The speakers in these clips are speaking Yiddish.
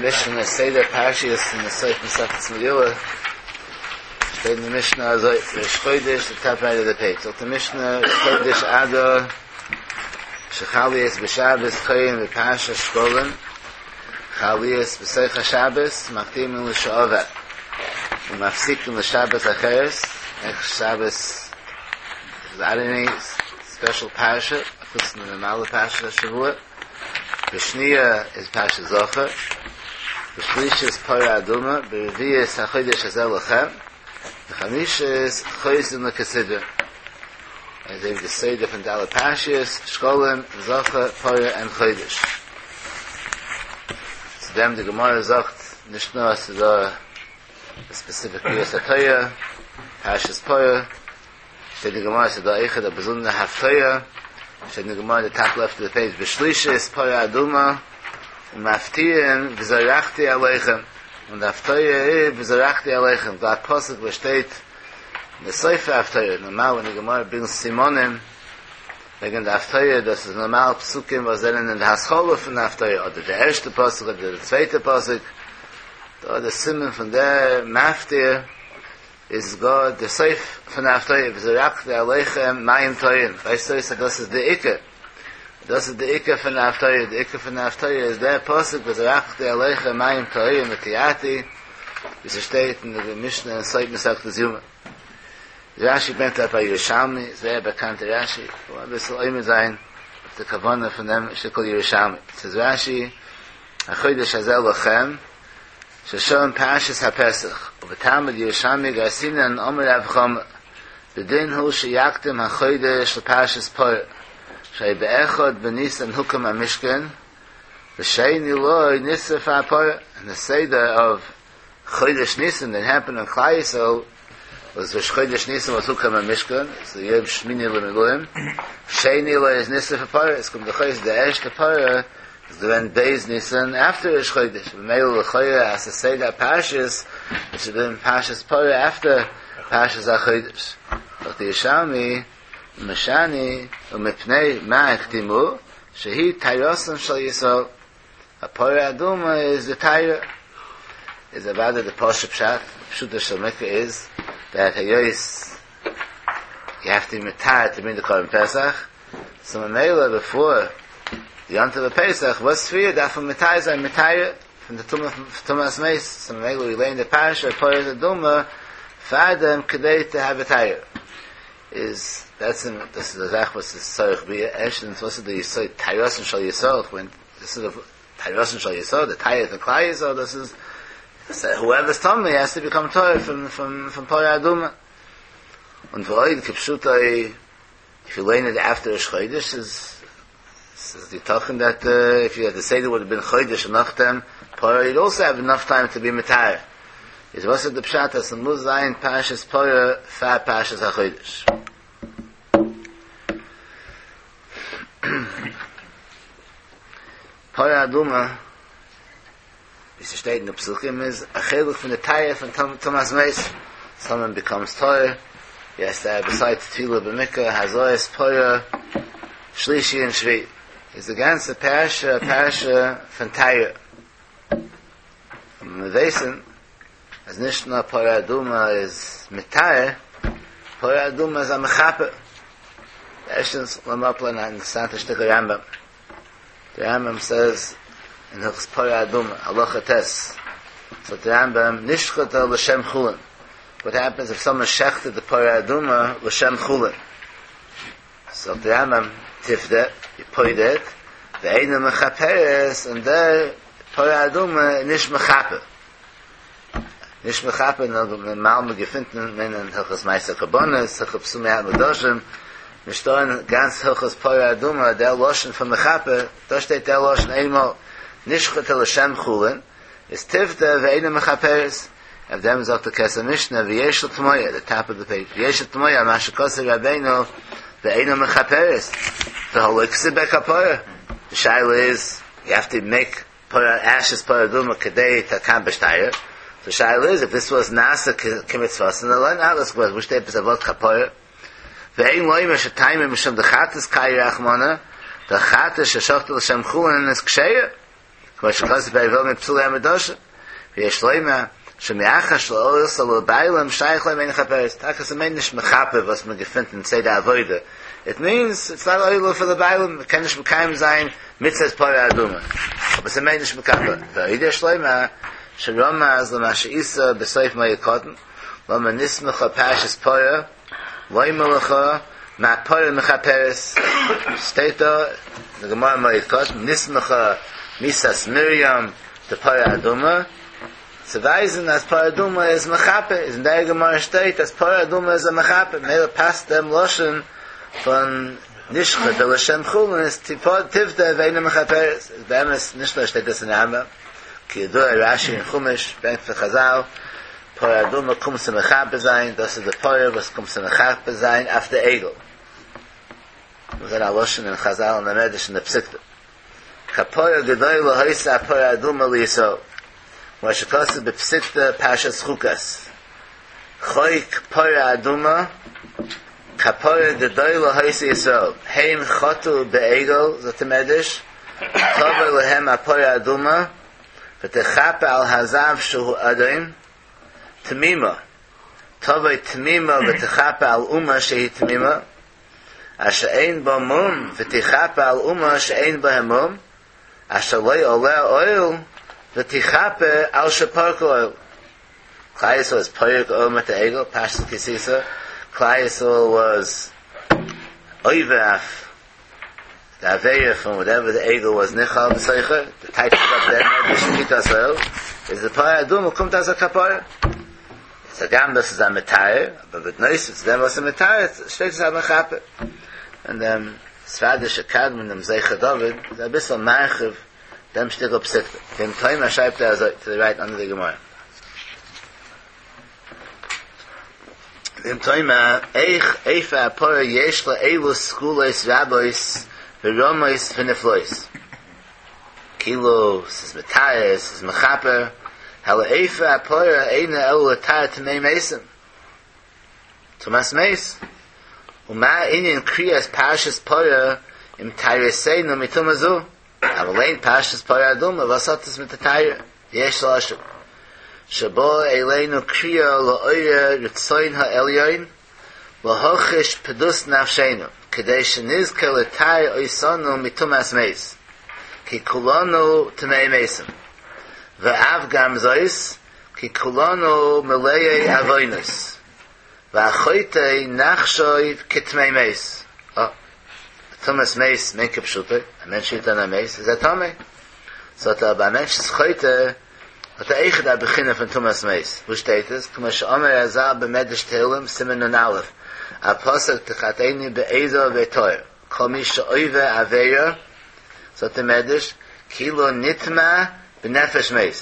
די משנה אין סדר פרשיות אין די סוף מסכת מגילה, שטייט אין די משנה אזוי, ראש חודש, די טאפ רייט אוו די פעידזש, זאגט די משנה, ראש חודש אדר, שחל להיות בשבת קורין בפרשת שקלים, חל להיות בתוך השבת, מקדימין לשעבר, ומפסיקין לשבת אחרת, נעקסט שבת איז עני ספעשל פרשה, חוץ פון די נארמאלע פרשת השבוע. בשניה איז פרשת זכור, בשלישית פרה אדומה, ברביעית החודש הזה לכם, בחמישית חוזרין לכסדרן. אזוי ווי די סדר פון די אלע פרשיות, שקלים, זכור, פרה און חודש. צו דעם די גמרא זאגט נישט נאר אז ס'איז דא א ספעסיפיק קריאת התורה, פרשת פרה, שטייט אין גמרא ס'איז דא אויכעט א באזונדערע הפטורה, שטייט אין גמרא אין די טאפ לעפט אוו די פעידזש בשלישית פרה אדומה ומפטירין וזרחתי עליכם, און די הפטורה איז וזרחתי עליכם, דא א פסוק וואס שטייט אין די סוף ההפטורה, נארמאל ווען די גמרא ברענגט סימנים וועגן די הפטורה, דאס איז נארמאל פסוקים וואס זענען אין די התחלה פון די הפטורה, אדער די ערשטע פסוק אדער די צווייטע פסוק, דא די סימן פון דער מפטיר. איז גאר די סוף פון די הפטורה וזרחתי עליכם מים טהורים, ווייזט אויס אז דאס איז די עיקר, דאס איז די עיקר פון די הפטורה, די עיקר פון די הפטורה איז דער פסוק וזרחתי עליכם מים טהורים וטיהרתי, ווי ס'שטייט אין די משנה אין סוף מסכת יומא. רשי ברענגט אראפ א ירושלמי, זייער באקאנטע רשי, כ'וועל אביסל עומד זיין אויף די כוונה פון דעם שטיקל ירושלמי, ס'איז רשי החודש הזה לכם, ששם פרשת הפסח, ובתלמוד ירושלמי גרסינן אמר רב חמא, בדין הוא שיקדים החודש לפרשת פרה, שהיה באחד בניסן הוקם המשכן, ושני לו נשרפה הפרה, and the seder of חודש ניסן that happened in כלל ישראל was ראש חודש ניסן was הוקם המשכן, so יום שמיני למילואים, שני לו איז נשרפה פרה, עס קומט דאך אויס די ערשטע פרה איז געווען ב' ניסן אפטער ראש חודש, ממילא לכאורה אז ס'איז סדר הפרשיות, עס איז געווען פרשת פרה אפטער פרשת החודש. זאגט די ירושלמי, ומשני ומפני מה הקדימו, שהיא טהרתן של ישראל, א פרה אדומה איז די טהרה, איז אוודאי די פשוט פשט, פשוטו של מקרא איז, דעט היות יו העוו טו בי מטהר טו ברינג די קרבן פסח, סאו ממילא בעפאר די יום טוב הפסח וואס פריער דארף מען מטהר זיין מיט טהרה פון די טומאה פון טומאת מת, סאו ממילא ווי לערן די פרשה פרה אדומה פאר דעם כדי טו העוו א טהרה. איז בעצם דאס איז א זאך וואס איז צריך ביאור, ערשטנס וואס איז די יסוד טהרתן של ישראל, כ'מיין דאס איז טהרתן של ישראל, די טהרה פון כלל ישראל, דאס איז הואעווער איז טמא העז טו ביקאם טהור פון פון פרה אדומה. און ועוד כפשוטו איף יו לערן איט אפטער ראש חודש איז ס'איז יתכן דעט איף יו העד די סדר וואלד בין חודש און נאכדעם פרה יוד אלסא העוו אינאף טיים טו בי מטהר איז וואס איז די פשט אז ס'מוז זיין פרשת פרה פאר פרשת החודש? פרה אדומה ווי ס'שטייט אין די פסוקים איז א חלק פון די טהרה פון טומאת מת, סאמאן ביקאמס טהור, הי העז טו העוו ביסיידס טבילה במקוה הזאת פרה שלישי און שביעי, איז די גאנצע פרשה א פרשה פון טהרה, און מיר ווייסן אז נישט נאר פרה אדומה איז מטהר, פרה אדומה איז א מכפר. ערשטנס לאמיר אפלערנען א אינטערעסאנטע שטיקל רמב"ם. דער רמב"ם סעז אין הלכות פרה אדומה, הלכה ט', זאגט דער רמב"ם, נשחטה לשם חולין, וואט העפענס איף סאמאן שעכטעט די פרה אדומה לשם חולין, זאגט דער רמב"ם, תפדה, יו פודה איט, ואינה מכפרת, און דער פרה אדומה איז נישט מכפר, נישט מכפר, נאר נארמאל מען געפינט אין הלכות מעשר קרבנות, הלכות פסול מיהת מוקדשים, נישטא אין גאנץ הלכות פרה אדומה דער לשון פון מכפר, דא שטייט דער לשון איינמאל נשחטה לשם חולין, איז תפדה ואינה מכפרת, אויף דעם זאגט דער כסף משנה ויש לתמוה, די טאפ אוו די פעידזש, ויש לתמוה על מה שכתב רבינו ואינה מכפרת, והלא כתיב בה כפרה, די שאלה איז, יו העוו טו מעיק פרה אשעס פרה אדומה כדי טו אקאמפליש טהרה, די שאלה איז איף דיס וואס נעשה כמצוותן דען אלעס וואס שטייט עפעס א ווארט כפרה, ואין לומר שטעמא משום דחטאת קרייה רחמנא, דחטאת ששחטה לשם חולין איז כשרה. כמו שכתוב בפרק ו' מפסולי המדרשים, ויש לומר שמאחר שלא עלתה לבעלים שייך לומר אינה מכפרת, טאקע ס'מיינט נישט מכפר וואס מען געפינט אין סדר עבודה, איט מיענס איטס נאט עולה פאר די בעלים, מען קען נישט מקיים זיין מצוות פרה אדומה, אבער ס'מיינט נישט מכפר, ועוד יש לומר שרמז למה שאיתא בסוף מועד קטן, למה נסמכה פרשת פרה לומר לך מה פרה מכפרת, שטייט דא אין די גמרא מועד קטן נסמכה מיתת מרים די פרה אדומה, צו ווייזן אז פרה אדומה איז מכפר, איז אין דער גמרא שטייט אז פרה אדומה איז א מכפר, ממילא פאסט דעם לשון פון נשחטה לשם חולין איז תפדה ואינה מכפרת, איז באמת נישט נאר שטייט דאס אין רמב"ם, כידוע רש"י אין חומש ברענגט פון חז"ל, פרה אדומה קומט צו מכפר זיין, דאס איז די פרה וואס קומט צו מכפר זיין אויף די עגל. דאס איז א לשון אין חז"ל און די מדרש אין די פסיקתא. כפרה גדולה היתה הפרה האדומה לישראל, כמו שכתוב בפסיקתא פרשת חוקת, חוק פרה אדומה, כפרה גדולה היתה לישראל, הם חטאו בעגל, זאגט די מדרש, תבוא להם הפרה האדומה, ותכפר על הזב שהוא אדום, תמימה, תבוא תמימה ותכפר על אומה שהיא תמימה, אשר אין בה מום ותכפר על אומה שאין בהם מום, אשר לא עליה עול ותכפר על שפרקו עול. כלל ישראל איז פורק עול מיט די עגל, פרשת כי תשא, כלל ישראל וואס עובר אויף די עבירה פון וואטעווער די עגל וואס נכלל בתוכה, די טייטש איז אויף דעם מדרש מיתת עול, איז די פרה אדומה קומט אלס א כפרה. איז הגם דאס איז א מטהר, אבער בנוסף צו דעם וואס איז מטהר, שטייט עס א מכפר. און דעם ספרדישע קדמון דעם זכר דוד איז אביסל מרחיב דעם שטיקל פסיקתא. ואם תאמר שרייבט ער אזוי, טו די רייט אנדער די גמרא. ואם תאמר, איך אפר הפרה יש לה אילו סגולות רבות ורמות ונפלאות. כאילו ס'איז מטהר, ס'איז מכפר, הלא אפר הפרה אינו אלא לטהר טמאי מתים. טומאת מת. ומה ענין קריאת פרשת פרה אם טהרתנו מטומאה זו? אבל אין פרשת פרה אדומה, וואס האט עס מיט די טהרה? יש להשיב. שבא אלינו קריאה לעורר רצון העליון להחיש פדות נפשינו, כדי שנזכה לטהר אותנו מטומאת מת, כי כולנו טמאי מתים, ואף גם זאת, כי כולנו מלאי עוונות, והחוטא נחשב כטמא מת. אה, טומאת מת מיינט כפשוטו, א מענטש רירט אן א מת איז ער טמא. זאגט ער אבער א מענטש איז חוטא האט ער אויכעט א בחינה פון טומאת מת. וואו שטייט עס? כמו שאמר רז"ל במדרש תהלים, סימן נ"א, א פסוק תחטאני באזוב ואטהר, כל מי שעובר עבירה, זאגט דער מדרש, כאילו נטמא בנפש מת,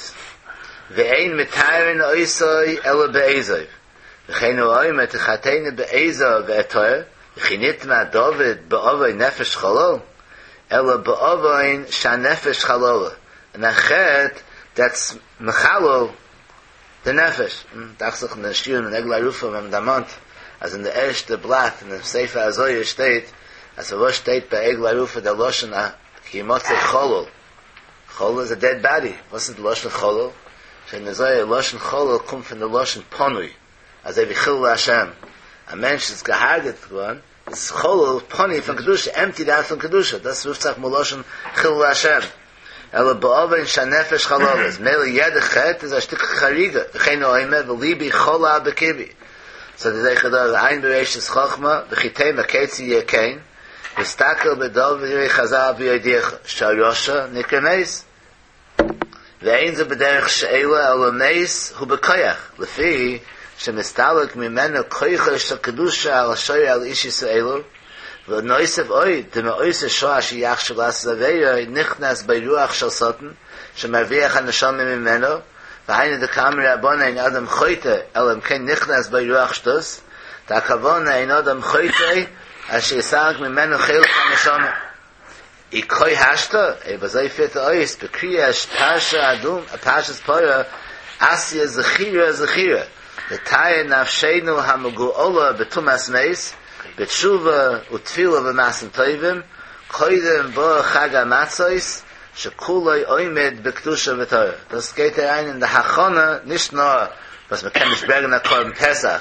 ואין מטהרין אותו אלא באזוב, וכן הוא אומר תחטאני באזוב ואטהר, וכי נטמא דוד בעוון נפש חלל, אלא בעוון שהנפש חללה, און א חטא דעטס מחלל די נפש, דאכט זיך אין די שיעורים אין עגלה ערופה ווען מען דערמאנט אז אין די ערשטע בלאט אין דעם ספר הזוהר שטייט אז פארוואס שטייט ביי עגלה ערופה דער לשון כי ימצא חלל, חלל איז א דעד באדי, וואס איז די לשון חלל? שטייט אין די זוהר לשון חלל קומט פון די לשון פנוי, אזוי ווי חילול השם, א מענטש איז געהארגעט געווארן, איז חלל פנוי פון קדושה, עמפטיד אוט פון קדושה, דאס רופט זיך מלשון חילול השם, אלא בעוון שהנפש חללה, איז מילא יעדע חטא איז א שטיק חריגה, וכן הוא אומר ולבי חלל בקרבי, זאגט די זכר דוד עיין בראשית חכמה וכי תאמר כיצד יהיה כן, הסתכל בדברי חז"ל ויודיעך שהרשע נקרא מת, ואין זה בדרך שאלה אלא מת הוא בכח, לפי שמסתלק ממנו כוחו של קדושה על השורה על איש ישראלו, ונוסף עוד, דמאותה שעה שיחשב לעשות עבירה נכנס בו רוח של שטן שמרוויח הנשמה ממנו, והיינו דקאמרי רבנן אין אדם חוטא אלא אם כן נכנס בו רוח שטות, דהכוונה אין אדם חוטא עד שיסתלק ממנו חלק הנשמה. אי כהי השתא, אויב אזוי פירט ער אויס בקריאת פרשה אדום, פרשת פרה, אתיא זכירה זכירה, לטהר נפשינו המגואלה בטומאת מת, בתשובה ותפילה ומעשים טובים, קודם בא חג המצות, שכולו עומד בקדושה וטהרה, דאס גייט אריין אין די הכנה, נישט נאר וואס מען קען נישט ברענגען א קרבן פסח,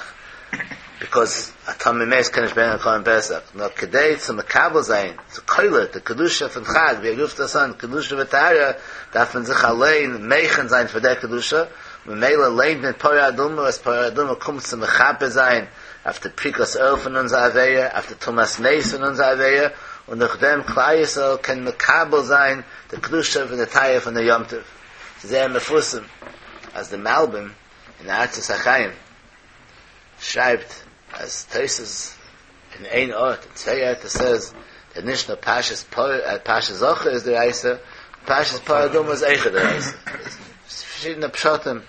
ביקאוז א טמא מת קען נישט ברענגען א קרבן פסח, נאר כדי צו מקבל זיין, צו קולט די קדושה פון חג, ווי ער רופט דאס אן קדושה וטהרה, דארף מען זיך אליין מכין זיין פאר דער קדושה, ממילא ליינט מען פרה אדומה, וואס פרה אדומה קומט צו מכפר זיין אויף די פריקת עול פון אונזער עבירה, אויף די טומאת מת פון אונזער עבירה, און דורך דעם כלל ישראל קען מקבל זיין די קדושה פון די טהרה פון די יום טוב. ס'איז זייער מפורסם אז די מלבים אין ארצות החיים שרייבט אז תוס' אין איין ארט, אין צוויי ערטער סעיז דעט נישט נאר פרשת פרה, פרשת זכור איז דאורייתא, פרשת פרה אדומה איז אויכעט דאורייתא. פארשידענע פשטים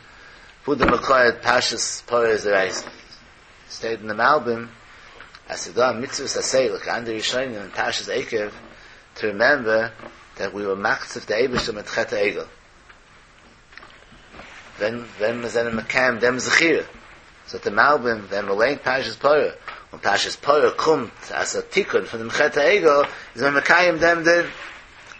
וואו די מקור פרשת פרה איז דאורייתא. שטייט אין די מלבים אז ס'איז דא א מצוות עשה לויט אנדערע ראשונים אין פרשת עקב טו רימעמבער דעט ווי ווער מקציף די אייבערשטער מיט חטא העגל. ווען ווען מיר זענען מקיים דעם זכירה, זאגט דער מלבים, ווען מען ליינט פרשת פרה, און פרשת פרה קומט אלס א תיקון פון דעם חטא העגל, איז מען מקיים דעם דין.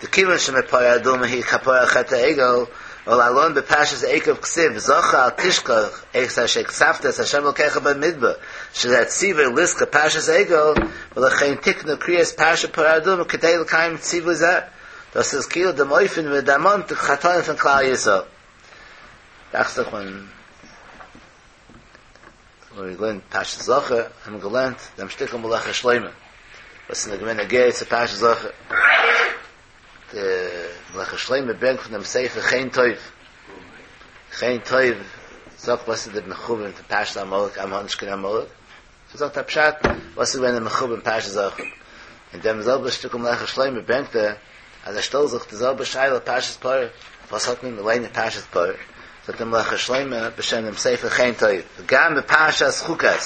דכיוון שמפרה אדומה היא כפרה על חטא העגל, ולהלן בפרשת עקב כתיב זכור אל תשכח את אשר הקצפת את ה' אלקיך במדבר, שזה הציווי לזכור פרשת עגל, ולכן תקנו קריאת פרשת פרה אדומה כדי לקיים ציווי זה. דאס איז כאילו דעם אופן ווי מ'דערמאנט די חטאים פון כלל ישראל. דאכט זיך ווען מ'האט געלערנט פרשת זכור האט מען געלערנט דעם שטיקל מלאכת שלמה וואס איז געווען נוגע צו פרשת זכור. די מלאכת שלמה ברענגט פון דעם ספר חן טוב. חן טוב זאגט וואס איז די מכוון פון פרשת עמלק, אז מ'האט נישט קיין עמלק. זאגט א פשט וואס איז געווען די מכוון פרשת זכור, אין דעם זעלבע שטיקל מלאכת שלמה ברענגט ער אז ער שטעלט זיך די זעלבע שאלה פרשת פרה, וואס האט מען מיט ליינען פרשת פרה, זאגט דער מלאכת שלמה בשם דעם ספר חן טוב, וגם בפרשת חוקת,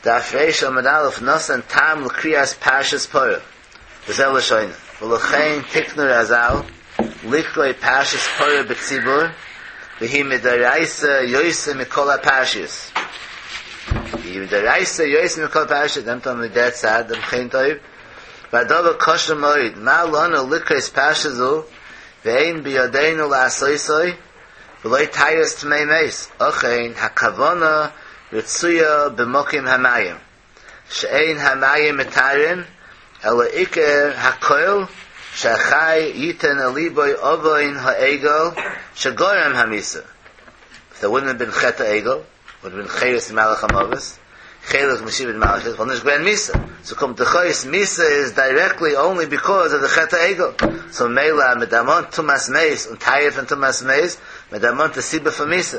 דף ריש עמוד א', נתן טעם לקריאת פרשת פרה, וזה לשונו, ולכן תקנו רז"ל לקרוא פרשת פרה בציבור, והיא מדאורייתא יותר מכל הפרשיות. והיא מדאורייתא יותר מכל הפרשיות, נעמט אן מיט דער צד דעם חן טוב, והדבר קשה מאוד, מה לנו לקרות פרשה זו, ואין בידינו לעשותו, בלא טהרת טמא מת, אכן הכוונה רצויה במקום המים. שאין המים מטהרין אלא עיקר הכל שהחי יתן אל ליבו עוון העגל שגרם המיתה. איף דער וואלדנט בין חטא העגל, וואלד בין חירות ממלאך המוות, חלק משעבוד מלכיות, וואלט נישט געווען מיתה. סאו קומט דאך אויס מיתה איז דירעקטלי אנלי ביקאוז אוו די חטא העגל. סאו ממילא אז מ'דערמאנט טומאת מת און טהרה פון טומאת מת, מ'דערמאנט די סיבה פון מיתה.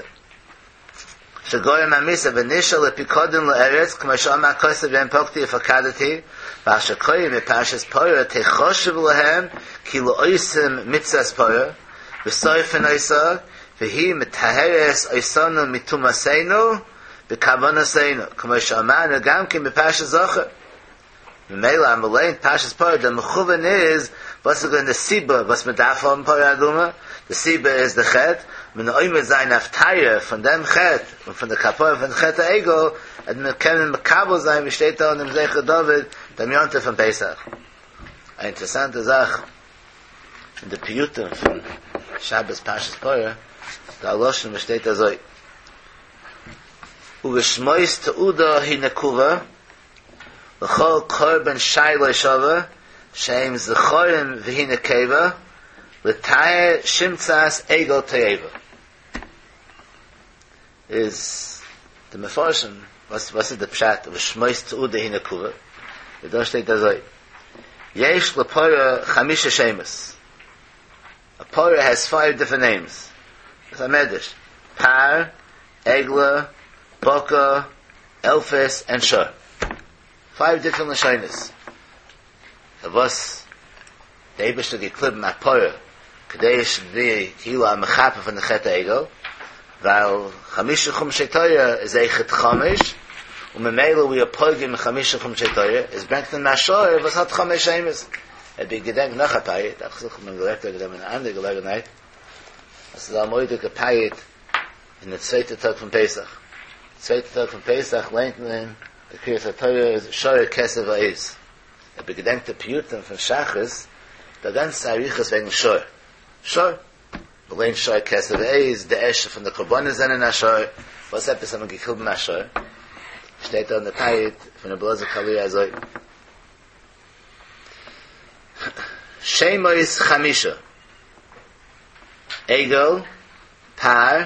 שגרם המיתה ונשאר לפיקדון לארץ כמו שאמר הכתוב ביום פקדי ופקדתי ואשר קוראים בפרשת פרה תחשב להם כאילו עושים מצוות פרה ושורפין אותה והיא מטהרת אותנו מטומאתנו בכוונתנו כמו שאמרנו גם כן בפרשת זכור ממילא אז מ'ליינט פרשת פרה דער מכוון איז וואס איז געווען די סיבה וואס מ'דארף האבן פרה אדומה, די סיבה איז די חטא, מען עומד זיין אויף טהרה פון דעם חטא און פון די כפרה פון חטא העגל, אז מען קען מקבל זיין ווי שטייט דא אין דעם זכר דוד דעם יום טוב פון פסח. א אינטערעסאנטע זאך אין די פיוטים פון שבת פרשת פרה, דא א לשון וואס שטייט אזוי, ובשמות תעודה היא נקובה, לכל קרבן שי לא שווה, שהם זכרים והיא נקבה, לטהר שמצת עגל תועבה. איז די מפרשים, וואס וואס איז די פשט ובשמות תעודה היא נקובה? איז דא שטייט אזוי, יש לפרה חמישה שמות, א פרה העז פייוו דיפרענט נעימס, דאס איז א מדרש, פר, עגלה, בקר, אלפס ענד שור. פייוו דיפרענט לשונות. פארוואס די אייבערשטער האט געקליבן א פרה כדי די כאילו א מכפר פון די חטא העגל, ווייל חמשה חומשי תורה איז אויכעט חמש, און ממילא ווי אר פוגם אין חמשה חומשי תורה, איז ברענגט מען א שור וואס האט חמש שמות. אויב איר געדענקט נאך א פיוט, דאכט זיך מען געלערנט וועגן דעם אין א אנדערע געלעגנהייט, אז ס'איז א מורא'דיגע פיוט אין די צווייטע טאג פון פסח, צווייטע טאג פון פסח ליינט מען די קריאת התורה איז שור הכשב העז, אויב איר געדענקט די פיוטים פון שחרית, די גאנצע אריכות וועגן שור. שור. מ'ליינט שור כשב ועז, די ערשטע פון די קרבנות זענען א שור, וואס עפעס האט מען געקליבן א שור? שטייט דא אין די פיוט פון רבי אלעזר קאליר אזוי, שמות חמשה, עגל, פר,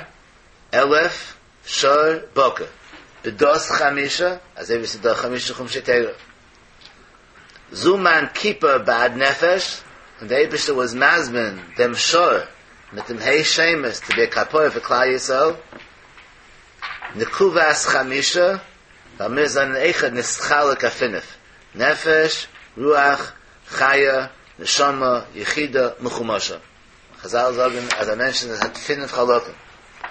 אלף, שור, בקר, פדות חמשה, אזוי ווי ס'איז דא חמשה חומשי תורה. זומן כיפר בעד נפש, און דער אייבערשטער וואס מזמין דעם שור מיט דעם ה' שמות טו בי א כפרה פאר כלל ישראל, נקובת חמשה, ווייל מיר זענען אויכעט נתחלק אויף פינף, נפש, רוח, חיה, נשמה, יחידה, מחומשה. חזל זאגן אז א מענטש האט פינף חלקים,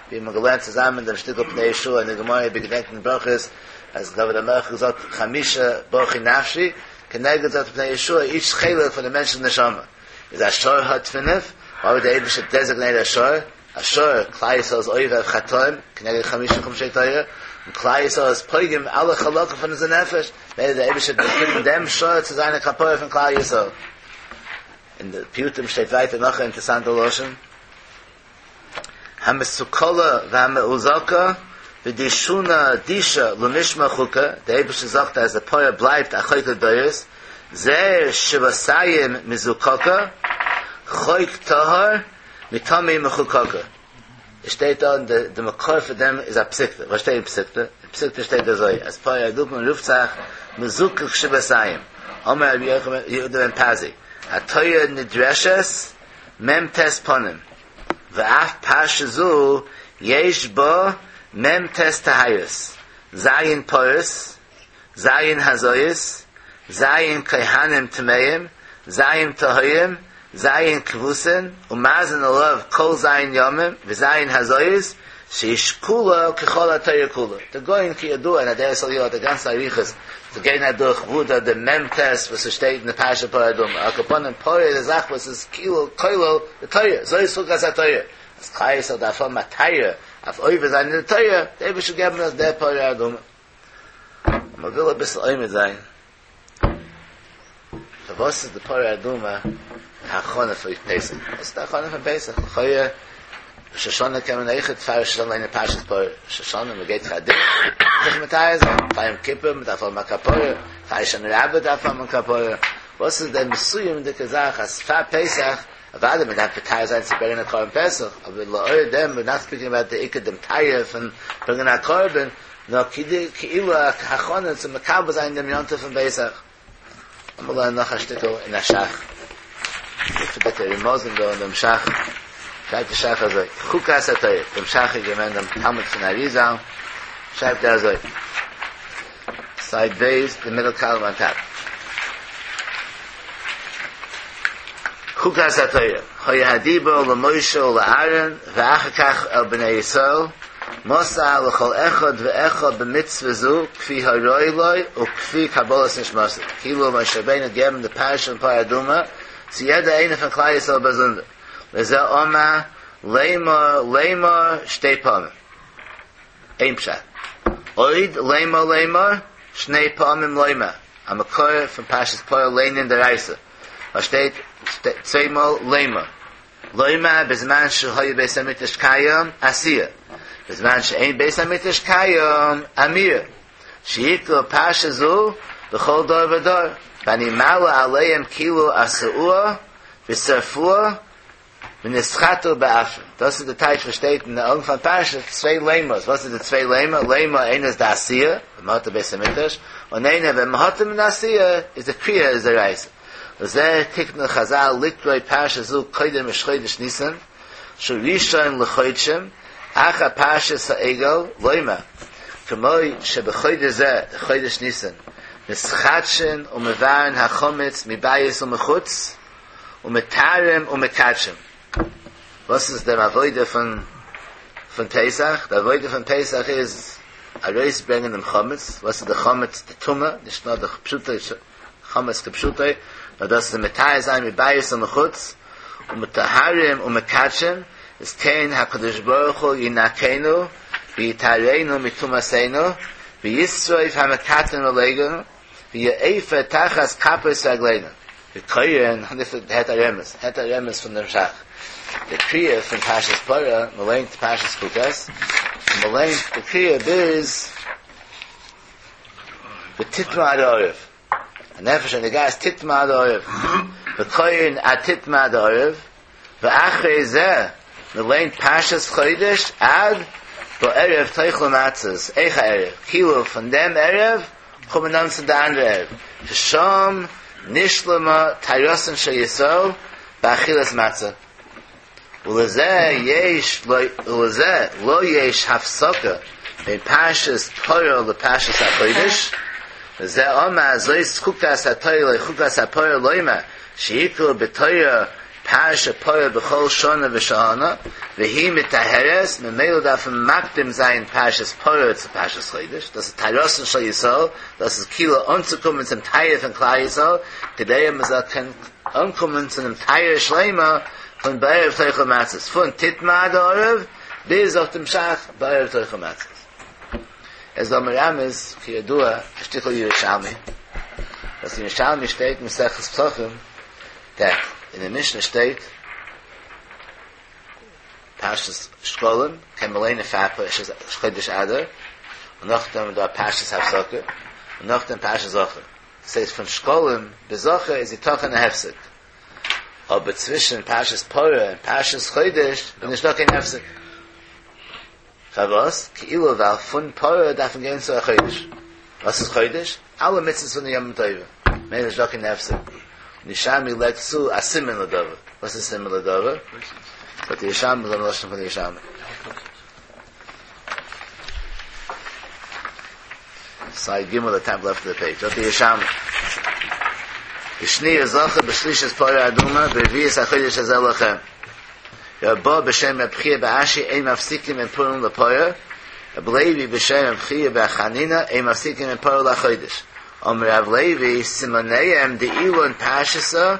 ווי מ'האט געלערנט צוזאמען דעם שטיקל פני יהושע אין די גמרא אויב איר געדענקט אין ברכות, אז דוד המלך האט געזאגט חמשה ברכי נפשי, כנגד זאגט פני יהושע איטש חלק פון די מענטש'ס נשמה איז א שור האט פינף, וויי וואלט דער אייבערשטער דעזיגנעיט א שור, א שור, כלל ישראל איז עובר אויף חטאים, כנגד חמשה חומשי תורה, און כלל ישראל איז פוגם אלע חלקים פון אונזער נפש, מילא דער אייבערשטער האט געגעבן דעם שור צו זיין א כפרה פון כלל ישראל. אין די פיוטים שטייט ווייטער נאך א אינטערסאנטע לשון, המסוכלה והמאוזקה ודישונה דישה למשמר חוקה, דער אייבערשטער זאגט אז די פרה בלייבט א חוק לדורות, זר שבעתים מזוקקה, חוק טהור מטמא מחוקקה. עס שטייט דא אין די מקור פאר דעם איז א פסיקתא, וואס שטייט אין פסיקתא? אין פסיקתא שטייט אזוי אז פרה אדומה רופט זיך מזוקק שבעתים, אמר רבי יהודה בן פזי, התורה נדרשת מ ט פנים, ואף פרשה זו יש בה מ ט טהרות, ז' פרות, ז' הזאות, ז' כהנים טמאים, ז' טהורים, ז' כבוסין, ומזין עליו כל ז' ימים, וז' הזאות, ששקולה ככל התורה כולה. דער גאון כידוע אין אדרת אליהו האט א גאנצע אריכות צו גיין אדורך וואו דא די מ ט וואס עס שטייט אין די פרשה פרה אדומה, על כל פנים פרה איז א זאך וואס איז כאילו כולל די תורה, זאת חוקת התורה, אז כלל ישראל דארף האבן א טהרה אויף עובר זיין אין די תורה, דער אייבערשטער געבן אונז דער פרה אדומה. מען וויל אביסל עומד זיין פארוואס איז די פרה אדומה א הכנה פאר פסח? וואס איז די הכנה פון פסח? לכאורה ראש השנה קען מען אויכעט פאר ראש השנה ליינען פרשת פרה, ראש השנה מען גייט פאר דעם זיך מטהר זיין, פאר יום כיפור מען דארף האבן א כפרה, פאר הושענא רבה דארף מען האבן א כפרה, וואס איז דער מסוימ'דיגע זאך אז פאר פסח, אוודאי מען דארף מטהר זיין צו ברענגען א קרבן פסח, אבער לאור דעם ווער נאט ספיקינג אבאוט די עיקר דעם טהרה פון ברענגען א קרבן, נאר כדי כאילו א הכנה צו מקבל זיין דעם יום טוב פון פסח. לאמיר לערנען נאך א שטיקל אין א שך. מופלא'דיגע רמזים דא אין דעם שך. שרייבט די שך אזוי, חוקת התורה, דעם שך איז געווען דעם תלמיד פון אריזל, שרייבט ער אזוי, סייד ב', די מידל קאלום אן טאפ. חוקת התורה, היה הדיבור למשה ולאהרן ואחר כך אל בני ישראל, מסר לכל אחד ואחד במצוה זו כפי הראוי לו וכפי קבלת נשמתו, כאילו משה רבינו האט געגעבן די פרשה פון פרה אדומה צו יעדער איינער פון כלל ישראל באזונדער, לזה אמר לאמר לאמר שתי פעמים, איין פשט, עוד לאמר לאמר שני פעמים לומר, א מקור פון פרשת פרה לענין דאורייתא, וואס שטייט צוויי מאל לאמר. לומר בזמן שהיה בית המקדש קיים עשיה, בזמן שאין בית המקדש קיים אמירה, שיקראו פרשה זו בכל דור ודור, ואני מעלה עליהם כאילו עשאוה ושרפוה ונשחטו בעפרא. דאס איז די טייטש וואס שטייט אין די אנפאנג פרשה, צוויי לאמר'ס, וואס איז די צוויי לאמר? לאמר איינער איז די עשיה, ווען מען האט די בית המקדש, און איינער ווען מען האט אים אין די עשיה, איז די קריאה איז דאורייתא. לזה תקנו חזל לקרוא פרשה זו קודם ראש חודש ניסן, שהוא ראשון לחודשים, אחר פרשת העגל, לומר, כמו שבחודש זה, חודש ניסן, מתחדשין ומבערין החמץ מבית ומחוץ, ומטהרים ומקדשים. וואס איז דער עבודה פון פון פסח? די עבודה פון פסח איז ארויסברענגען דעם חמץ, וואס איז די חמץ? די טומאה, נישט נאר די פשוטע חמץ כפשוטו, נאר דאס איז מטהר זיין מבית ומחוץ, ומטהרים ומקדשים, איז כן הקדוש ברוך הוא ינקנו ויטהרנו מטומאתנו, וישרוף המקטין עלינו, ויעפר תחת כפות רגלינו. וקורין, הערט א רמז, הערט א רמז פון דעם שך. די קריאה פון פרשת פרה, מען ליינט פרשת חוקת, און מען ליינט די קריאה ביז ותטמא עד הערב. הנפש הנוגעת תטמא עד הערב. וקורין עד תטמא עד הערב, ואחרי זה, מען ליינט פרשת חודש עד בערב תאכלו מצות, אויך א ערב, כאילו פון דעם ערב קומט מען אן צו די אנדערע ערב, ששם נשלמה טהרתן של ישראל באכילת מצה, ולזה יש ולזה לא יש הפסקה בין פרשת פרה לפרשת החודש, וזה אמר זאת חוקת התורה לא חוקת הפרה לומר שיקראו בתורה פרשת פרה בכל שנה ושנה, והיא מטהרת, ממילא דארף מען מקדים זיין פרשת פרה צו פרשת חודש, דאס איז טהרתן של ישראל, דאס איז כאילו אנצוקומען צום טהרה פון כלל ישראל, כדי אז מען זאל קענען אנקומען צו דעם טהרה שלימה פון בערב תאכלו מצות, פון תטמא עד הערב ביז אויף דעם שך בערב תאכלו מצות. עס איז דא מרמז כידוע א שטיקל ירושלמי, וואס אין ירושלמי שטייט מסכת פסחים, דעט אין די משנה שטייט פרשת שקלים קען מען ליינען פאר פרשת חודש אדר, און נאכדעם איז דא פרשת הפסקה, און נאכדעם פרשת זכור. דאס הייסט פון שקלים ביז זכור איז יתכן א הפסק, אבער צווישן פרשת פרה און פרשת חודש איז נישטא קיין הפסק. פארוואס? כאילו ווייל פון פרה דארף מען גיין צו א חודש. וואס איז חודש? אלע מצוות פון די ימים טובים. ממילא נישטא קיין הפסק. און ירושלמי לייגט צו א סימן לדבר. וואס איז סימן לדבר? זאגט די ירושלמי, זאגן לשון פון די ירושלמי. סייד גימל די טאפ לעפט אוו די פעידזש. זאגט די ירושלמי. בשניה זכור בשלישית פרה אדומה ברביעית החודש הזה לכם. רבה בשם רב חייא בר אשי אין מפסיקים בין פורים לפרה, רב לוי בשם רב חייא בר חנינא אין מפסיקים בין פרה לחודש, אמר רב לוי סימניהם דאילון פרשתא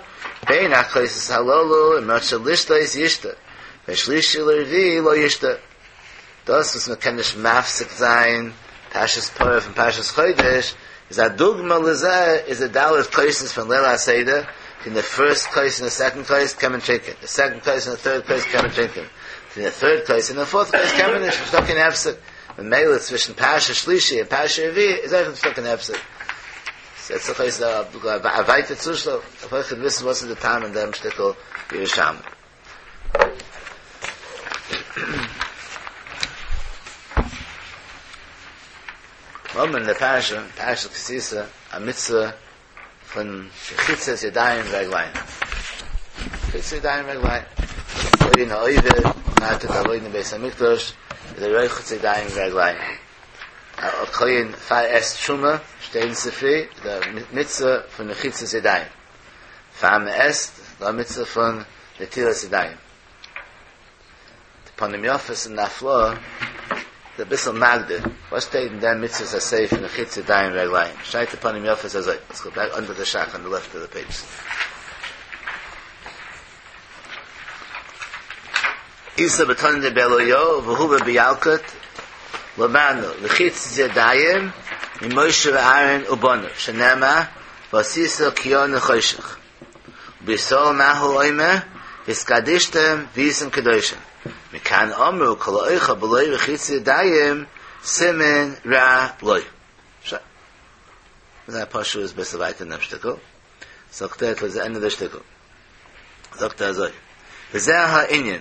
בין הכוסות הללו אם רצה לשתות ישתה בין שלישי לרביעי לא ישתה. דאס וואס מען קען נישט מפסיק זיין פרשת פרה פון פרשת חודש איז א דוגמא לזה איז די ד' כוסות פון ליל הסדר, פון די פירסט כוס און די סעקאנד כוס קען מען טרינקען, די סעקאנד כוס און די טוירד כוס קען מען טרינקען, פון די טוירד כוס און די פארט כוס קען מען נישט, נישטא קיין הפסק, ממילא צווישן פרשת שלישי און פרשת רביעי איז אויך נישטא קיין הפסק. ס'זעט זיך אויס א ווייטע צושטעל, דארף אויכעט וויסן וואס איז די טעם אין דעם שטיקל ירושלמי. האבן אין די פרשה, פרשת כי תשא, א מצוה פון רחיצת ידיים ורגליים. רחיצת ידיים ורגליים. כהן העובד, פאר ער טוט עבודה אין בית המקדש, איז ער רוחץ ידיים ורגליים. א כהן פאר ער עסט תרומה, שטייט אין ספרי, די מצוה פון רחיצת ידיים. פאר מען עסט, די מצוה פון נטילת ידיים. די פנים יפות אין הפלאה איז אביסל מגדיר וואס שטייט אין דעם מצוות עשה פון רחיצת ידיים ורגליים. שרייבט די פנים יפות אזוי, לעטס גאו בעק אנדער די שך אן די לעפט אוו די פעידזש. איתא בתנא דבי אליהו והובא בילקוט למדנו רחיצת ידיים ממשה ואהרן ובניו שנאמר ועשית כיור נחושת ובישראל מה הוא אומר והתקדשתם והייתם קדושים מכאן אמרו כל האוכל בלא רחיצת ידיים סימן רע לו. שוין. זייער פשוט איז בעסער ווייטער אין דעם שטיקל. זאגט ער צו ענדע די שטיקל. זאגט ער אזוי, וזה הענין,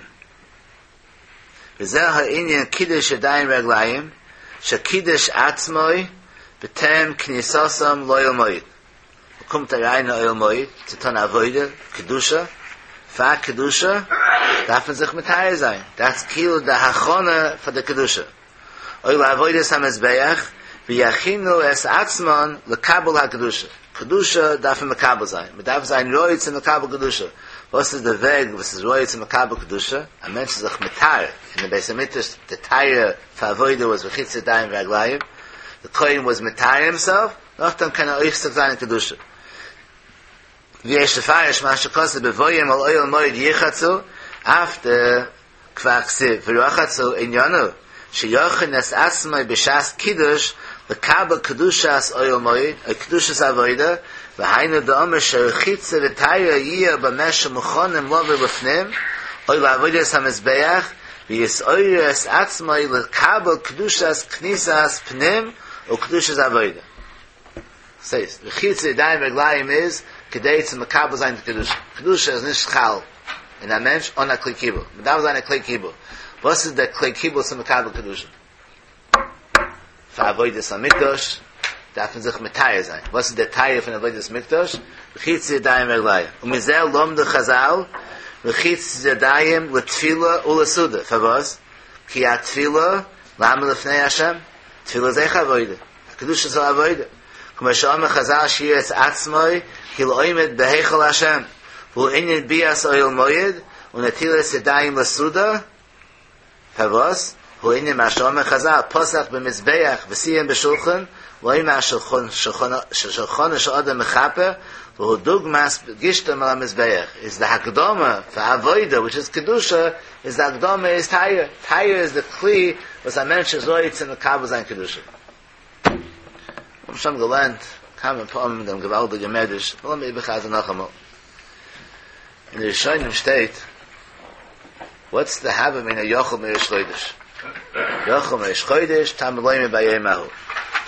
וזה הענין קידוש ידיים ורגליים, שקידש עצמו בטרם כניסתם לאוהל מועד. מ'קומט אריין אין אוהל מועד צו טון עבודה, קדושה, פאר קדושה דארף מען זיך מטהר זיין, דאס כאילו די הכנה פאר די קדושה. או לעבודת המזבח, ויכינו את עצמן לקבל הקדושה. קדושה דארף מען מקבל זיין, מען דארף זיין ראוי צו מקבל קדושה. וואס איז די וועג וואס איז ראוי צו מקבל קדושה? א מענטש איז זיך מטהר אין די בית המקדש, די טהרה פאר עבודה וואס רחיצת ידיים ורגליים, די כהן וואס מטהר הימסעלף, נאכדעם קען ער עוסק זיין אין קדושה. ויש לפרש מה שכתוב בבואם אל אוהל מועד ירחצו, אף דכבר כתיב ורחצו עניינו שיכין את עצמו בשעת קידוש לקבל קדושת אוהל מועד או קדושת עבודה. והיינו דאמר שרחיצה וטהרה יהיה במה שמוכנים לבוא לפנים או לעבודת המזבח ויתעורר את עצמו לקבל קדושת כניסת פנים וקדושת עבודה. ס'הייסט, רחיצה ידיים ורגליים איז כדי צו מקבל זיין די קדושה. קדושה איז נישט חל אין א מענטש אן א כלי קיבול. מ'דארף זיין א כלי קיבול. וואס איז דער כלי קיבול צו מקבל קדושה? פאר עבודת המקדש דארף מען זיך מטהר זיין. וואס איז דער טהרה פון עבודת מקדש? רחיצת ידיים ורגליים. ומזה למדו חזל רחיצת ידיים לתפילה ולסעודה. פארוואס? כי התפילה לעמוד לפני השם. תפילה איז אויך עבודה. קדושת העבודה. כמו שאמרו חזל שיראה את עצמו כאילו עומד בהיכל השם. והוא ענין ביאת אוהל מועד ונטילת ידיים לסעודה. פארוואס? הוא ענין מה שאמרו חזל, פתח במזבח וסיים בשולחן, לומר ששולחנו של אדם מכפר, והוא דוגמת גישתם אל המזבח. איז די הקדמה פאר עבודה, which is קדושה, איז די הקדמה איז טהרה. טהרה איז די כלי וואס א מענטש איז ראוי צו מקבל זיין קדושה. מיר האבן שוין געלערנט כמה פעמים דעם געוואלדיגן מדרש, לאמיר איבערחזר'ן נאכאמאל. אין די ראשונים שטייט, וואטס די הוה אמינא יכול מראש חודש? יכול מראש חודש, תלמוד לומר ביום ההוא.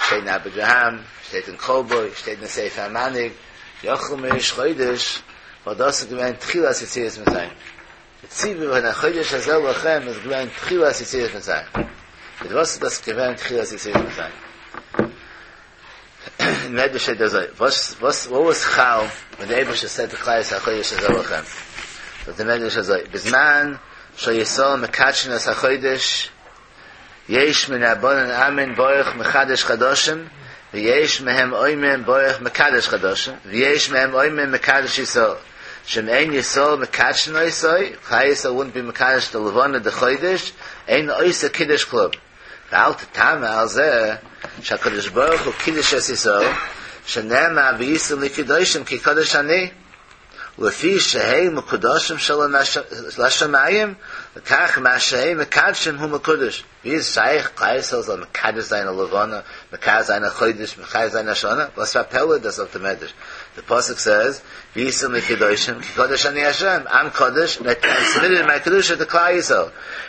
שטייט אין אבודרהם, שטייט אין כלבו, שטייט אין ספר המנהיג, יכול מראש חודש, ווייל דאס איז געווען תחילת יציאת מצרים. די ציווי פון החודש הזה לכם איז געווען תחילת יציאת מצרים. מיט וואס איז דאס געווען תחילת יציאת מצרים? אין מדרש שטייט אזוי, וואס וואס וואט וואס חל ווען די אייבערשטער סעד טו כלל ישראל החודש הזה לכם? זאגט די מדרש אזוי, בזמן שישראל מקדשין את החודש, יש מן רבנן אומרים ברוך מחדש חדשים, ויש מהם אומרים ברוך מקדש חדשים, ויש מהם אומרים מקדש ישראל. שאם אין ישראל מקדשין אותו, כלל ישראל וואודנט בי מקדש די לבנה דחודש, אין עושה קידוש כלום. ואל תתמה על זה שהקדוש ברוך הוא קידש את ישראל, שנאמר והייתם לי קדושים כי קדוש אני. לפי שהם מקודשים לשמים, לכך מה שהם מקדשים הוא מקודש. ווי איז שייך כלל ישראל זאל מקדש זיין א לבנה, מקדש זיין א חודש, מקדש זיין א שנה? וואס פאר א פלא איז דאס זאגט די מדרש. די פסוק סעז, והייתם לי קדושים כי קדוש אני השם, I'm קדוש, and I transmitted my קדושה to כלל ישראל.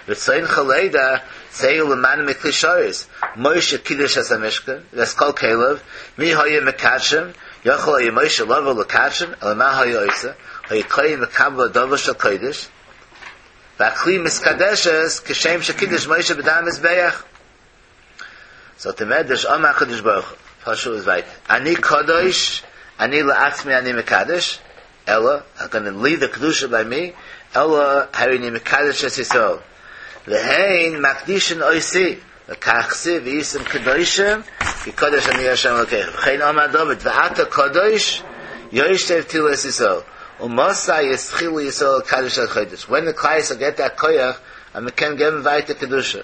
רצונך לידע, צא ולמדנו מכלי שרת, משה קידש את המשכן, ואת כל כליו, מי היה מקדשם, יכול היה משה לבוא לקדשם, אלא מה היה עושה? היה קודם מקבל אדמה של קודש, והכלי מתקדשת כשם שקידש משה בדם המזבח. זאגט דער מדרש אמר הקדוש ברוך הוא, פשט איז ווייטער, אני קדוש, אני לעצמי אני מקדש, אלא, I'm gonna leave the קדושה by me, אלא הרי אני מקדש את ישראל. והן מקדישין אותי, לכך כתיב והייתם קדושים, כי קדוש אני השם אלוקיכם. וכן אמר דוד, ואתה קדוש, יושב תהילת ישראל. ומתי יתחילו ישראל לקדש את החודש. When the כלל ישראל get that כח, אז מען קען געבן ווייטער קדושה.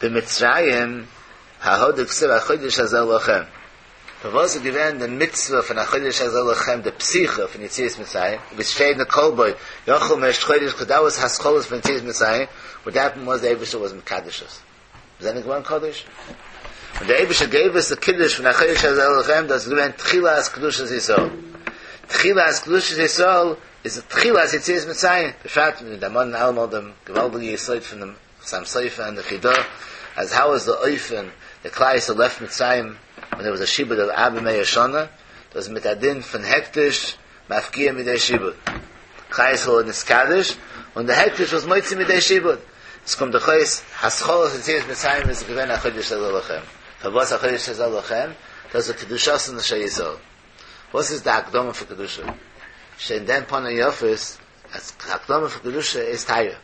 במצרים, ההא דכתיב החודש הזה לכם. פארוואס איז געווען די מצוה פון החודש הזה לכם די פתיחה פון יציאת מצרים, ווי ס'שטייט אין כלבו יכול מראש חודש קאז דעט וואס התחלה פון יציאת מצרים, וואט העפענד וואס די אייבערשטער וואס מקדש אס. מיר זענען געווארן קדוש. און דער אייבערשטער געב אונז די קידוש פון החודש הזה לכם, דאס איז געווען תחילת קדושת ישראל. תחילת קדושת ישראל איז תחילת יציאת מצרים, בפרט מיר דערמאנען אלעמאל דעם געוואלדיגן יסוד פון דעם חתם סופר און די חידא, אז האו איז די אופן די כלל ישראל לעפט מצרים ווען דער וואס א שעבוד אוו ארבע מאות שנה, דאס איז מיט א דין פון הקדש מפקיע מידי שעבוד, כלל ישראל איז נתקדש און די הקדש וואס מוציא מידי שעבוד, עס קומט דאך אויס התחלת יציאת מצרים איז געווען החודש הזה לכם, פארוואס החודש הזה לכם? דאס איז קדושתן של ישראל. וואס איז די הקדמה פאר קדושה? שטייט אין דעם פנים יפות אז הקדמה פאר קדושה איז טהרה.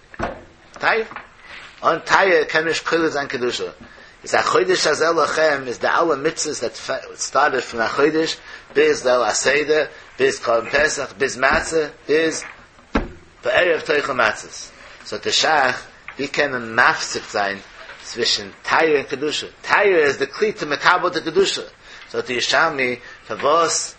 טהרה. אן טהרה קען מען נישט קולט זיין קדושה. איז החודש הזה לכם איז די אלע מצוות דעט סטארטעד פון החודש ביז ליל הסדר, ביז קרבן פסח, ביז מצה, ביז בערב תאכלו מצות. זאגט דער שך, ווי קען מען מפסיק זיין צווישן טהרה און קדושה? טהרה איז די כלי צו מקבל די קדושה. זאגט די ירושלמי, פארוואס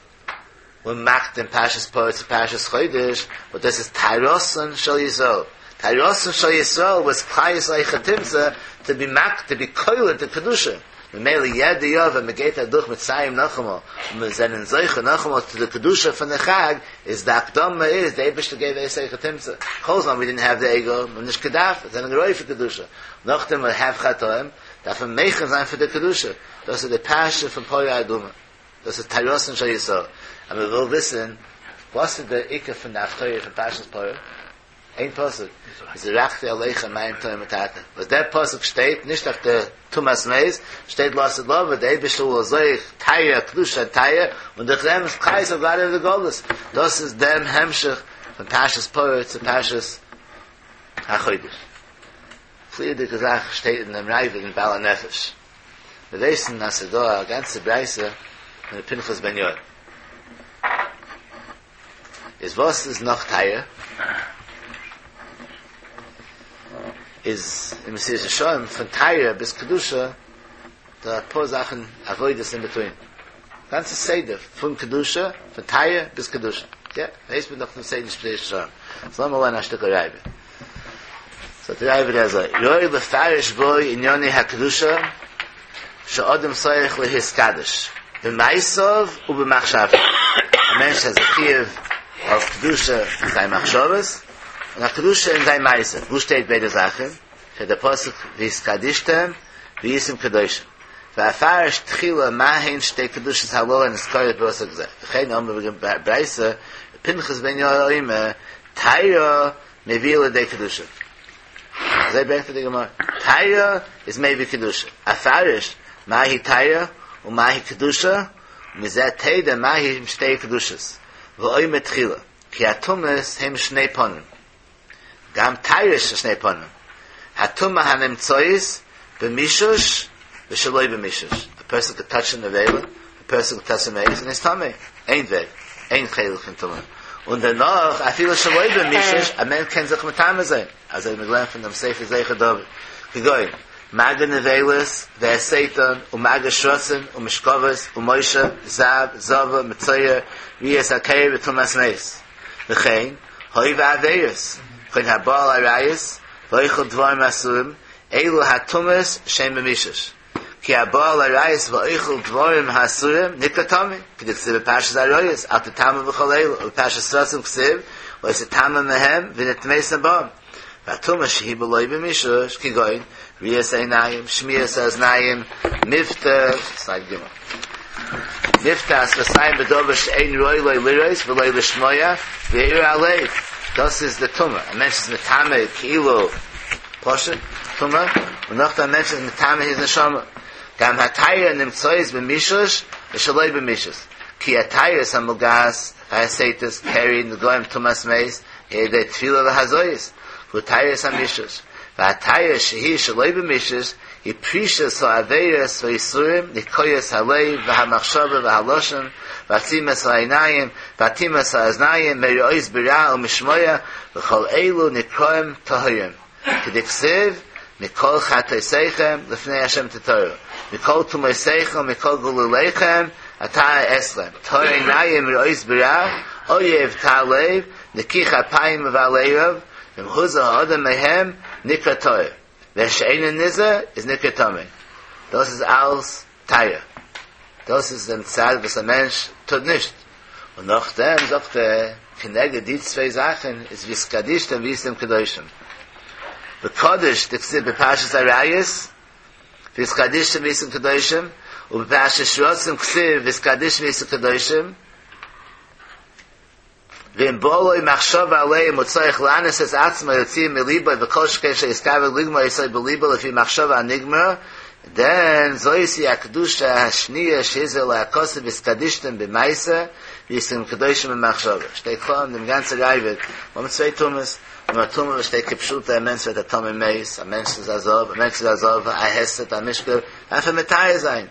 מ'איז מקדים פרשת פרה צו פרשת חודש, וואס דאס איז טהרתן של ישראל. טהרתן של ישראל וואס כלל ישראל היכי תמצא, טו בי מק טו בי קולט די קדושה. ממילא יעדע יאר ווען מען גייט אדורך מצרים נאכאמאל און מיר זענען זוכה נאכאמאל צו די קדושה פון די חג, איז די הקדמה איז די אייבערשטער געב ואת היכי תמצא, כל זמן ווי דינט העוו די עגל, מ'האט נישט געדארפט, זענען ראוי פאר קדושה, נאכדעם ווי העוו חטאים, דארף מען מכין זיין פאר די קדושה, דאס איז די פרשה פון פרה אדומה, דאס איז טהרתן של ישראל, אז מען וויל וויסן וואס איז די עיקר פון די הפטורה פון פרשת פרה, איין פסוק, וזרחתי עליכם מים טהורים וטהרתם, וואס דער פסוק שטייט נישט אויף די טומאת מת, שטייט לעתיד לבוא, די אייבערשטער וויל אזוי טהרה קדושה טהרה, און דורך דעם איז כלל ישראל גאט אוט אוו די גלות, דאס איז דעם המשך פון פרשת פרה צו פרשת החודש. פריערדיגע זאך שטייט אין דעם ראב"ד אין בעל הנפש. מיר ווייסן אז ס'איז דא א גאנצע ברייתא פון ר' פנחס בן יאיר. איז וואס איז נאך טהרה? איז אין מסילת ישרים פון טהרה ביז קדושה דא אפאר זאכן עבודות אין ביטווין. גאנצע סדר פון קדושה, פון טהרה ביז קדושה. יא, ווייסט מען דאך דעם סדר מסילת ישרים. סאו לאמיר לערנען א שטיקל ראב"ד. זאגט דער ראב"ד אזוי, ראוי לפרש בו ענייני הקדושה שאדם צריך להתקדש במעשיו ובמחשבתו. א מענטש האט א חיוב אויף קדושה אין זיין מחשבות, און א קדושה אין זיין מעשה. וואו שטייט ביידע זאכן? שטייט דער פסוק והתקדשתם והייתם קדושים. ואפרש תחילה מה הן שתי קדושות הללו הנזכרות בפסוק זה. וכן אמרו בברייתא, פנחס בן יאיר אומר, טהרה מביאה לידי קדושה. אזוי ברענגט ער די גמרא. טהרה איז מביא קדושה. אפרש מהי טהרה ומהי קדושה, ומזה תדע מהי שתי קדושות. ואומר תחילה, כי הטומאות הם שני פנים. גם טהרה יש שני פנים. הטומאה הנמצאות במישוש ושלא במישוש. א פערסאן קען טאטש א נבילה, א פערסאן קען טאטש א מת און איז טמא. איין וועג, איין חלק פון טומאה. און דערנאך אפילו שלא במישוש, א מענטש קען זיך מטמא זיין. אזוי האט מען געלערנט פון דעם ספר זכר דוד. כגון, מגע נבילות והסייתן ומגע שרצים ומשכבות ומושב זב זבה מצורע ראיית הקרי וטומאת מת. וכן, העובר עבירות, כגון הבא על עריות, ואוכל דברים אסורים, אלו הטומאות שהן במישוש. כי הבא על עריות ואוכל דברים האסורים נקרא טמא, כדכתיב בפרשת עריות, אל תטמאו בכל אלו, ובפרשת שרצים כתיב, לא תטמא מהם ונטמאתם בם. והטומאה שהיא בלא במישוש, כגון, ראיית העיניים, שמיעת האזניים, מבטא, סלייד ג' מבטא השפתיים בדבר שאין ראוי לו לראות ולא לשמוע, וירא הלב, דאס איז די טומאה, א מענטש איז מטמא כאילו פשוט, טומאה, און נאכדעם א מענטש איז מטמא his נשמה. גם הטהרה נמצאות במישוש ושלא במישוש, כי הטהרות המוגעת והסתות קרי נגעים טומאת מת על ידי טבילה והזאות, הוא טהרת המישוש, והטהרה שהיא שלא במישוש היא פרישת העבירות והאיסורים, ניקוית הלב והמחשבה והלשון, ועצימת העיניים, ואטימת האזניים, מראות ברע ומשמוע, וכל אלו נקראים טהורים. כדכתיב, מכל חטאתיכם לפני ה' תטהרו, מכל טומאותיכם ומכל גלוליכם אטהר אתכם, טהור עיניים מראות ברע, אויב טהר לב, נקי כפיים ובל ערב, ואם הוזהר האדם מהם נקרא טהור, ושאינו נזהר איז נקרא טמא. דאס איז אלס טהרה. דאס איז דעם צד וואס א מענטש טוט נישט. און נאכדעם זאגט ער, כנגד די צוויי זאכן איז והתקדשתם והייתם קדושים. וקדוש דכתיב בפרשת עריות, והתקדשתם והייתם קדושים, ובפרשת שרצים כתיב והתקדשתם והייתם קדושים, ואם בא לו מחשבה עליהם הוא צריך לענות את עצמו להוציא מליבו וכל שכן שיתכוון לגמור אותו בליבו לפי מחשבה הנגמרה, דען זאת היא הקדושה השנייה שהזהיר עליה הכתוב והתקדשתם במעשה והייתם קדושים במחשבה. שטייט קלאר אין דעם גאנצע ראב"ד, מיר האבן צוויי טומאות, מיר האבן א טומאה וואס שטייט כפשוטו א מענטש ווערט א טמא מת, א מענטש איז א זב, א מענטש איז א זבה, א הסת, א משכב, דארף ער מטהר זיין.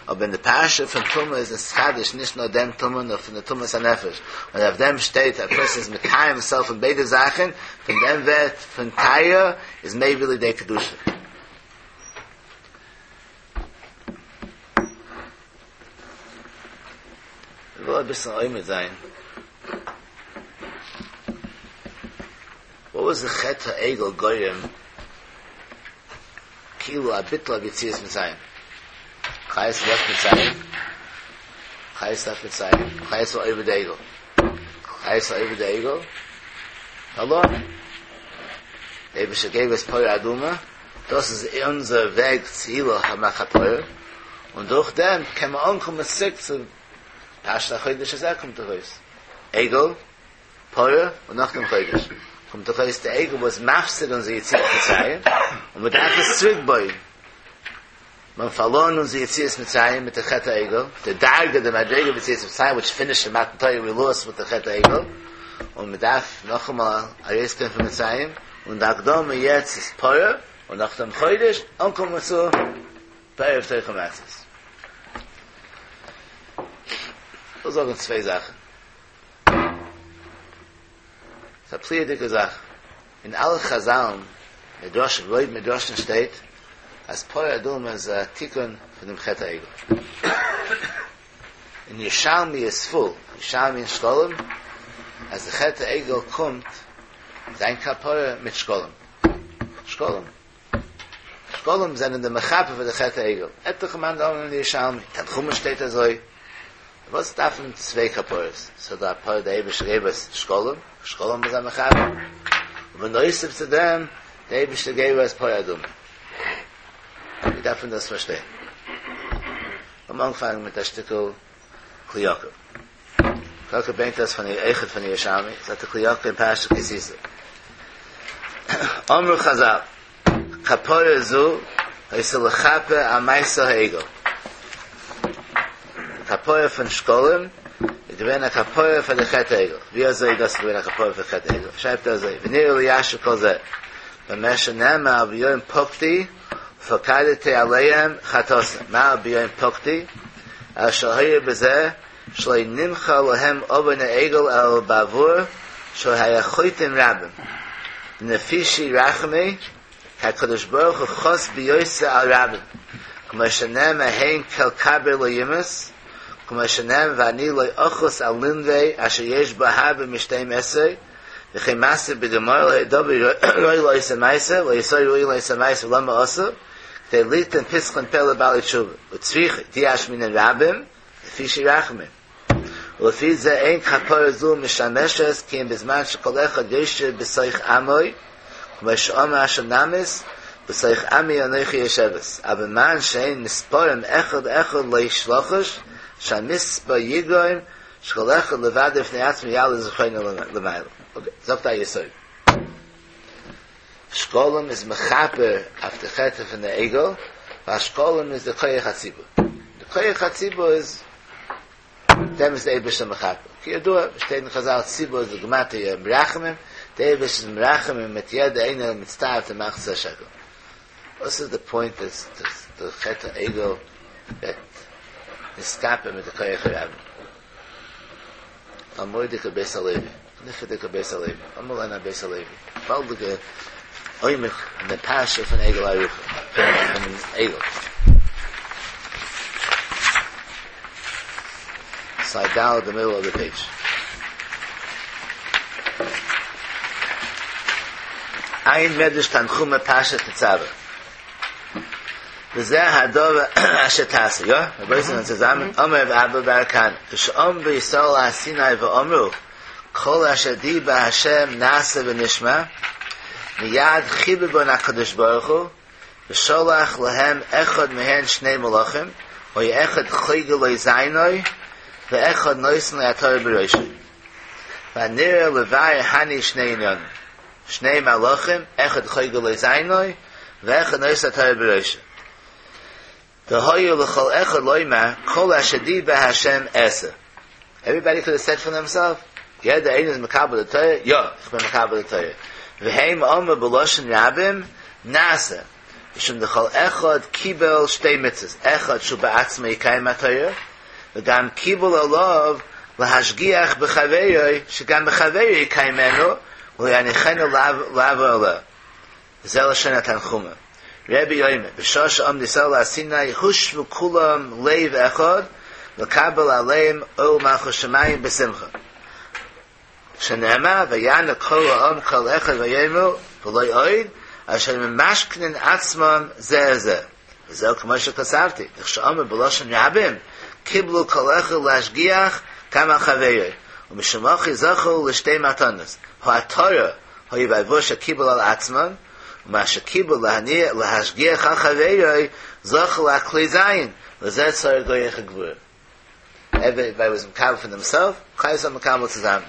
אבער אין די פרשה פון טומאה איז נתחדש נישט נאר דעם טומאה נאר פון די טומאת הנפש, און אויף דעם שטייט א פערסאן איז מטהר הימסעלף פון ביידע זאכן, פון דעם ווערט פון טהרה איז מביא לידי קדושה. איך וויל אביסל עומד זיין. וואט וואס די חטא העגל גורם כאילו א ביטול אוו יציאת מצרים? כלל ישראל לעפט מצרים, כלל ישראל לעפט מצרים, כלל ישראל עובד עגל, כלל ישראל עובד עגל, פארלוירן. דער אייבערשטער געב אונז פרה אדומה, דאס איז אונזער וועג צו המכפר, און דורך דעם קען מען אנקומען צוריק צו פרשת החודש הזה קומט דאך אויס עגל, פרה, און נאכדעם חודש, קומט דאך אויס די עגל וואס מפסיד אונזער יציאת מצרים, און מען דארף עס צוריק בויען. מיר האבן פארלוירן אונזער יציאת מצרים מיט די חטא העגל, די דרגה, די מדריגה פון יציאת מצרים וויטש פינישט אין מתן תורה ווי לאסט מיט די חטא העגל, און מען דארף נאכאמאל ארויסגיין פון מצרים, און די הקדמה יעצט איז פרה, און נאכדעם חודש, אנקומען צו בערב תאכלו מצות. כ'וויל זאגן צוויי זאכן. ס'איז א פליאה'דיגע זאך. אין אלע חזל'ן, מדרשים, רוב מדרשים שטייט אז פרה אדומה איז א תיקון פון דעם חטא העגל. אין ירושלמי איז פול, ירושלמי אין שקלים, אז די חטא העגל קומט זיין כפרה מיט שקלים. שקלים. שקלים זענען די מכפר פאר די חטא העגל. עטליכע מאן דאמרים אין ירושלמי, תנחומא שטייט אזוי. וואס דארף מען צוויי כפרות? ס'איז דא א פרה די אייבערשטער געב אונז שקלים, שקלים איז א מכפר, און בנוסף צו דעם די אייבערשטער געב אונז פרה אדומה. ווי דארף מען דאס פארשטיין? לאמיר אנפאנגען מיט א שטיקל כלי יקר. כלי יקר ברענגט דאס פון אויכעט פון ירושלמי, זאגט די כלי יקר אין פרשת כי תשא. אמרו חזל, כפרה זו היתה לכפר על מעשה העגל. כפרה פון שקלים איז געווען א כפרה פאר די חטא העגל. ווי אזוי איז דאס געווען א כפרה פאר חטא העגל? שרייבט ער אזוי, ונראה ליישב כל זה, במה שנאמר ביום פקדי ופקדתי עליהם חטאתם, מה ביום פקדי? אלא שהיה בזה שלא נמחל להם עוון העגל אלא בעבור שהיו חוטאים רבים, דנפישי רחמי כי הקדוש ברוך הוא חס ביותר על רבים, כמו שנאמר הן כל כביר לא ימאס, כמו שנאמר ואני לא אחוס על נינוה אשר יש בה הרבה משתים עשרה, וכן מתיר בגמרא לא היה דבר ראוי לעושה מעשה, ולא יעשו ראוי לעושה מעשה ולמה עשו, כדי ליתן פתחון פה לבעלי תשובה, וצריכא דאי אשמעינן רבים, נפישי רחמי. ולפי זה אין כפרה זו משמשת כי אם בזמן שכל אחד יושב בתוך עמו, כמו שאמר השונמית, בתוך עמי אנכי יושבת, אבל בזמן שהן מספרים אחד אחד לא לחוש, שהמספר יגרום שכל אחד לבד בפני עצמו יעלה זכרונו למעלה. אוקיי, זאגט א יסוד. שקלים איז מכפר אויף די חטא פון די עגל, ווייל שקלים איז די כח הציבור. די כח הציבור איז, דעם איז די אייבערשטער מכפר. כידוע, שטייט אין חזל ציבור איז בגימטריא רחמים, די אייבערשטער איז מרחמים מיט יעדע איינער מצטער צו מחצית השקל. וואס איז די פוינט אז די חטא העגל ווערט נתכפר מיט די כח הרבים? א מורא'דיגע בית הלוי, נפלא'דיגע בית הלוי, לאמיר לערנען א בית הלוי, געוואלדיגע עומק אין די פרשה פון עגלה ערופה, פון עגל. סייד ד' די מידל אוו די פעידזש. עיין מדרש תנחומא פרשת תצוה. וזה הדבר אשר תעשה, יא? רבותי זענען צוזאמען, אמר רב אבא בר כהנא, כשעמדו ישראל על הר סיני ואמרו, כל אשר דיבר ה' נעשה ונשמע, מיד חיבבן הקדוש ברוך הוא, ושלח להם אחד מהן שני מלאכים, והיה אחד חוגר לו זענו, ואחד נותן לו עטרה בראשו. והנראה לבאר הני שני ענינים, שני מלאכים, אחד חוגר לו זענו, ואחד נושא עטרה בראשו. דהיו לכל אחד לומר, כל אשר דיבר השם אעשה. Everybody could have said for themselves, יעדער איינער איז מקבל די תורה, יא, איך בין מקבל די תורה. והם אמרו בלשון רבים, נעשה. משום דכל אחד קיבל שתי מצוות, אחד שהוא בעצמו יקיים התורה, וגם קיבל עליו להשגיח בחבירו, שגם בחבירו יקיימנו, ולא יניחנו לעבור עליה. זה לשון התנחומא. רבי אומר, בשעה שעמדו ישראל על הר סיני הושוו כולם לב אחד לקבל עליהם עול מלכות שמים בשמחה. שנאמר ויענו כל העם קול אחד ויאמרו ולא עוד, אשר ממשכנין עצמם זה את זה. וזהו כמו שכתבתי, דכשאמר בלשון רבים, קיבלו כל אחד להשגיח גם על חברו, ומשום הכי זכו לשתי מתנות, העטרה היה בעבור שקיבל על עצמן, ומה שקיבל להניע להשגיח על חברו, זכו לכלי זין, לזה צריך כח הגבורה. Everybody was מקבל for themselves, כלל ישראל מקבל צוזאמען.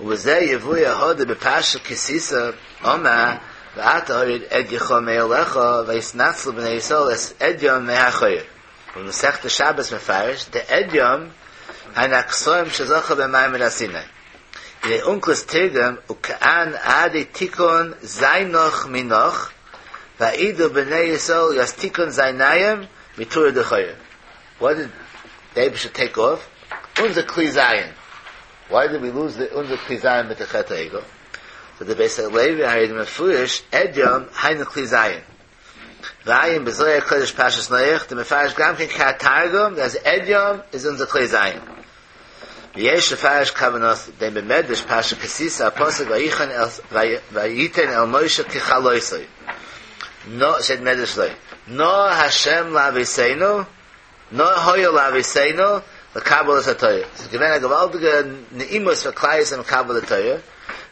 ובזה יבואר הא דבפרשת כי תשא, אמר, ואתה הורד עדיך מעליך, ויתנצלו בני ישראל את עדים מהחורב. ובמסכת שבת מפרש, דעדים הן הכתרים שזכה במעמד הר סיני. הנה אונקלוס תרגם וכאן עדי תיקון זיינך מינך ואעידו בני ישראל ית תיקון זייניים מטורא דחורב. What did the Eibishter take off? אונזער כלי זיין. Why did we lose the אונזער כלי זיין מיט די חטא העגל? So the בית הלוי הרי מפורש עדים היינו כלי זיין. ועיין בזוהר הקודש פרשת נח דמפרש גם כן כהתרגום אז עדים איז אונזער כלי זיין. ויש לפרש כוונתו דבמדרש פרשת כי תשא הפסוק ויחן אל ויתן אל משה ככלותו נא שטייט מדרש אזוי נא השם לאבותינו נא היה לאבותינו לקבל את התורה ס'איז געווען א געוואלדיגע נעימות פאר כלל ישראל מקבל די תורה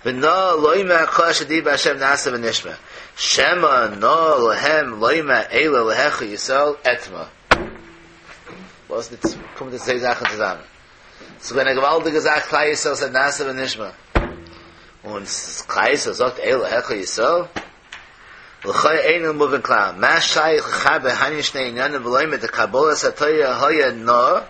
ונא לומר כל אשר דיבר השם נעשה ונשמע שמא נא להם לומר אלה אלהיך ישראל אתמה וואס ניט קומט די צוויי זאכן צוזאמען ס'איז געווען א געוואלדיגע זאך כלל ישראל ס'איז נעשה ונשמע און כלל ישראל זאגט אלה אלהיך ישראל לכאו' אינו מובן כלל מה שייך לחבר הני שני עניינים ולומר דקבלת התורה היה נא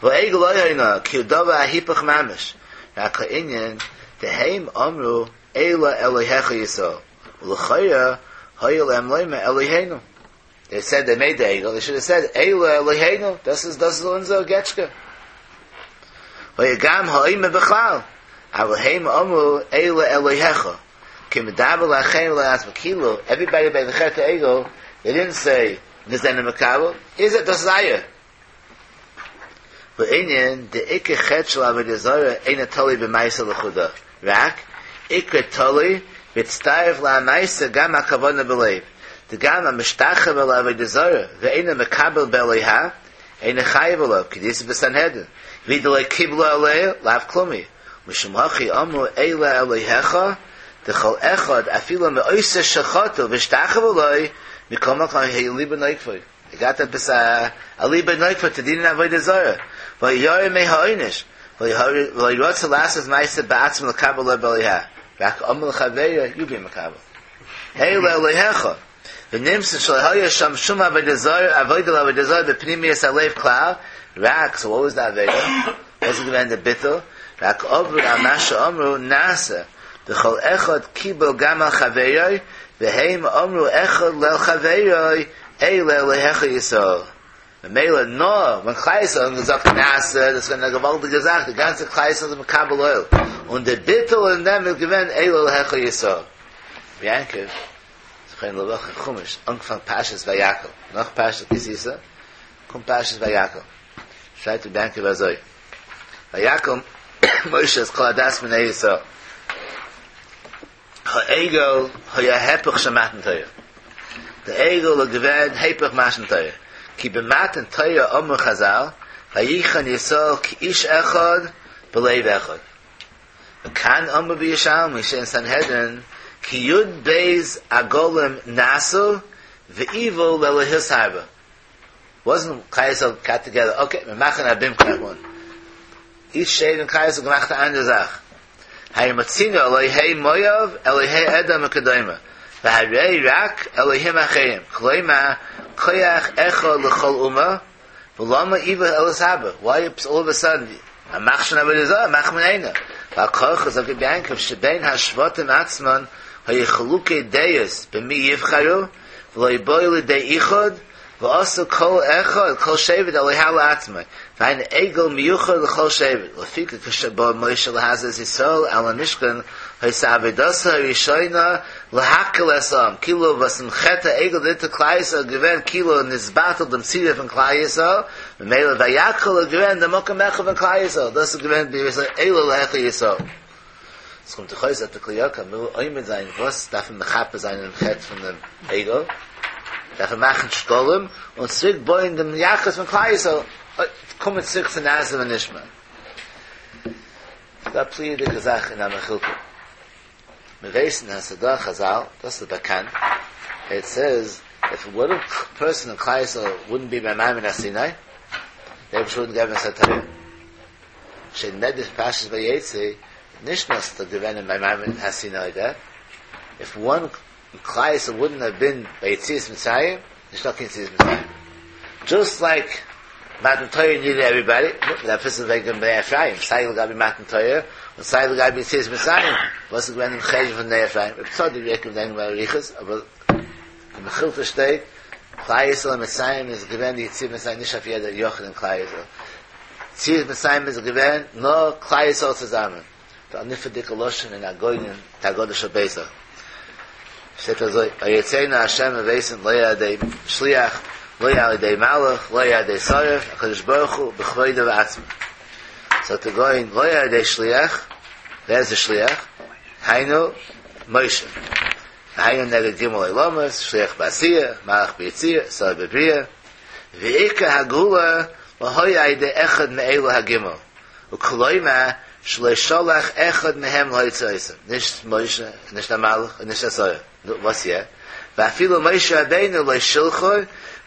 והעגל לא היה נא כי הוא דבר ההיפך ממש רק העניין דהם אמרו אלה אלוהיך ישראל ולכאורה היה להם לומר אלוהינו They said they made the עגל, they should have said, אלה אלוהינו, דאס איז, דאס איז אונזער געטשקע. וגם האומר בכלל, אבל הם אמרו, אלה אלוהיך. כי מדבר לאחרים ולא לעצמו. כאילו, everybody by the חטא העגל, they didn't say, מיר זענען מקבל, איז דאס איז אייער. ועניין, דעיקר חטא של עבודה זרה, אינו תלוי במעשה לחודא. רק, עיקר תלוי, בהצטרף למעשה גם הכוונה בלב. דגם המשתחווה לעבודה זרה, ואינו מקבל באלוהיה, אינו חייב עליו, כדאיתא בסנהדרין. ואי דלא קיבלו עליה, לאו כלום היא. משום הכי אמרו אלה אלוהיך, דכל אחד אפילו מעושה שחטא והשתחווה לו, מכל מקום היה ליבו נוקפו. געהאט עפעס א ליבו נוקפו צו דינען עבודה זרה, וירא מהעונש, ולא רצה לעשות מעשה בעצמו לקבל עליו באלוהיה, רק אמר לחבירו, you be מקבל. אלה אלוהיך, ונמצא שלא היה שם שום עבודה זרה, עבודה לעבודה זרה בפנימיות הלב כלל, רק, so what was the עבודה? וואס איז געווען די ביטול? רק עברו על מה שאמרו נעשה, דכל אחד קיבל גם על חברו, והם אמרו אחד לחברו, אלה אלהיך ישראל. ממילא נאר ווען כלל ישראל האבן געזאגט נעשה, דאס איז געווען א געוואלדיגע זאך, די גאנצע כלל ישראל איז מקבל עול, און די ביטול אין דעם איז געווען אלה אלהיך ישראל. ר' יעקב, זכרונו לברכה, חומש, אנפאנג פרשת ויקהל, נאך פרשת כי תשא, קומט פרשת ויקהל, שרייבט ר' יעקב אזוי, ויקהל משה את כל עדת בני ישראל, העגל היה היפך של מתן תורה. דער עגל איז געווען היפך מתן תורה. כי במתן תורה אמרו חזל, ויחן ישראל כאיש אחד בלב אחד. וכאן אמרו בירושלמי שאין סנהדרין, כי י"ב עגלים נעשו ואיוו לאלהות הרבה. Wasn't כלל ישראל got together, okay, מיר מאכן א במקום one. Each שבט אין כלל ישראל געמאכט א אנדערע זאך. הרי מצינו אלוהי מואב, אלוהי אדום וכדומה. והרי רק אלוהים אחרים. כלומר, כח אחד לכל אומה, ולמה איוו לאלהות הרבה? Why all of a sudden, א מכשיר עבודה זרה, מאכט מען איינער. ועל כרחך זאגט רבי יעקב שבין השבטים עצמן היו חילוקי דעות במי יבחרו, ולא באו לידי איחוד, ועשו כל אחד, כל שבט אלוה לעצמו, והיינו עגל מיוחד לכל שבט, לפיכך כשבא משה להזהיר את ישראל על המשכן, היתה עבודתו הראשונה להקהיל את העם, כאילו וואס אין חטא העגל די כלל ישראל געווען כאילו נתבטל דעם צירוף פון כלל ישראל, ממילא ויקהל איז געווען דער מקום אחד פון כלל ישראל, דאס איז געווען די אלה אלהיך ישראל. עס קומט דאך אויס אז די כלי יקר מ'וויל עומד זיין וואס דארף מען מכפר זיין דעם חטא פון דעם עגל? דארף מען מאכן שקלים און צוריק בויען דעם יחוס פון כלל ישראל, קומען צוריק צו נעשה ונשמע. ס'דא א פליאה'דיגע זאך אין א מכילתא. מיר ווייסן אז ס'דא א חזל, דאס איז באקאנט, איט סעיז איף וואן פערסאן אין כלל ישראל וואודנט בי ביי מעמד הר סיני, די אייבערשטער וואודנט געבן אונז א תורה. שטייט אין מדרש פרשת ויצא, נישט נאר ס'איז געווען אין ביי מעמד הר סיני דעט איף וואן אין כלל ישראל וואודנט האב בין ביי יציאת מצרים, נישטא קיין יציאת מצרים. דזשאסט לייק מתן תורה נידעד עוועריבאדי, נו, מ'דארף וויסן וועגן בני אפרים, סיי לגבי מתן תורה און סיי לגבי יציאת מצרים, וואס איז געווען דעם חשבון פון בני אפרים, רב צדוק רעדט וועגן באריכות, אבער אין מכילתא שטייט, כלל ישראל אין מצרים איז געווען די יציאת מצרים נישט אויף יעדער יחיד אין כלל ישראל, יציאת מצרים איז געווען נאר כלל ישראל צוזאמען. די נפלא'דיגע לשון אין הגאון אין די הגדה של פסח שטייט אזוי, ויוציאנו ה' מיר ווייסן לא על ידי שליח לא על ידי מלאך לא על ידי שרף הקדוש ברוך הוא בכבודו ובעצמו. זאגט די גאון לא על ידי שליח, ווער איז די שליח? היינו משה, והיינו נגד ג' עולמות, שליח בעשייה, מלאך ביצירה, שרף בבריאה, ועיקר הגאולה לא היה על ידי אחד מאלו הג' וכלומר שלא שלח אחד מהם להוציא אותם, נישט משה, נישט א מלאך, און נישט א שרף, נו וואס יא? ואפילו משה רבינו לא שלחו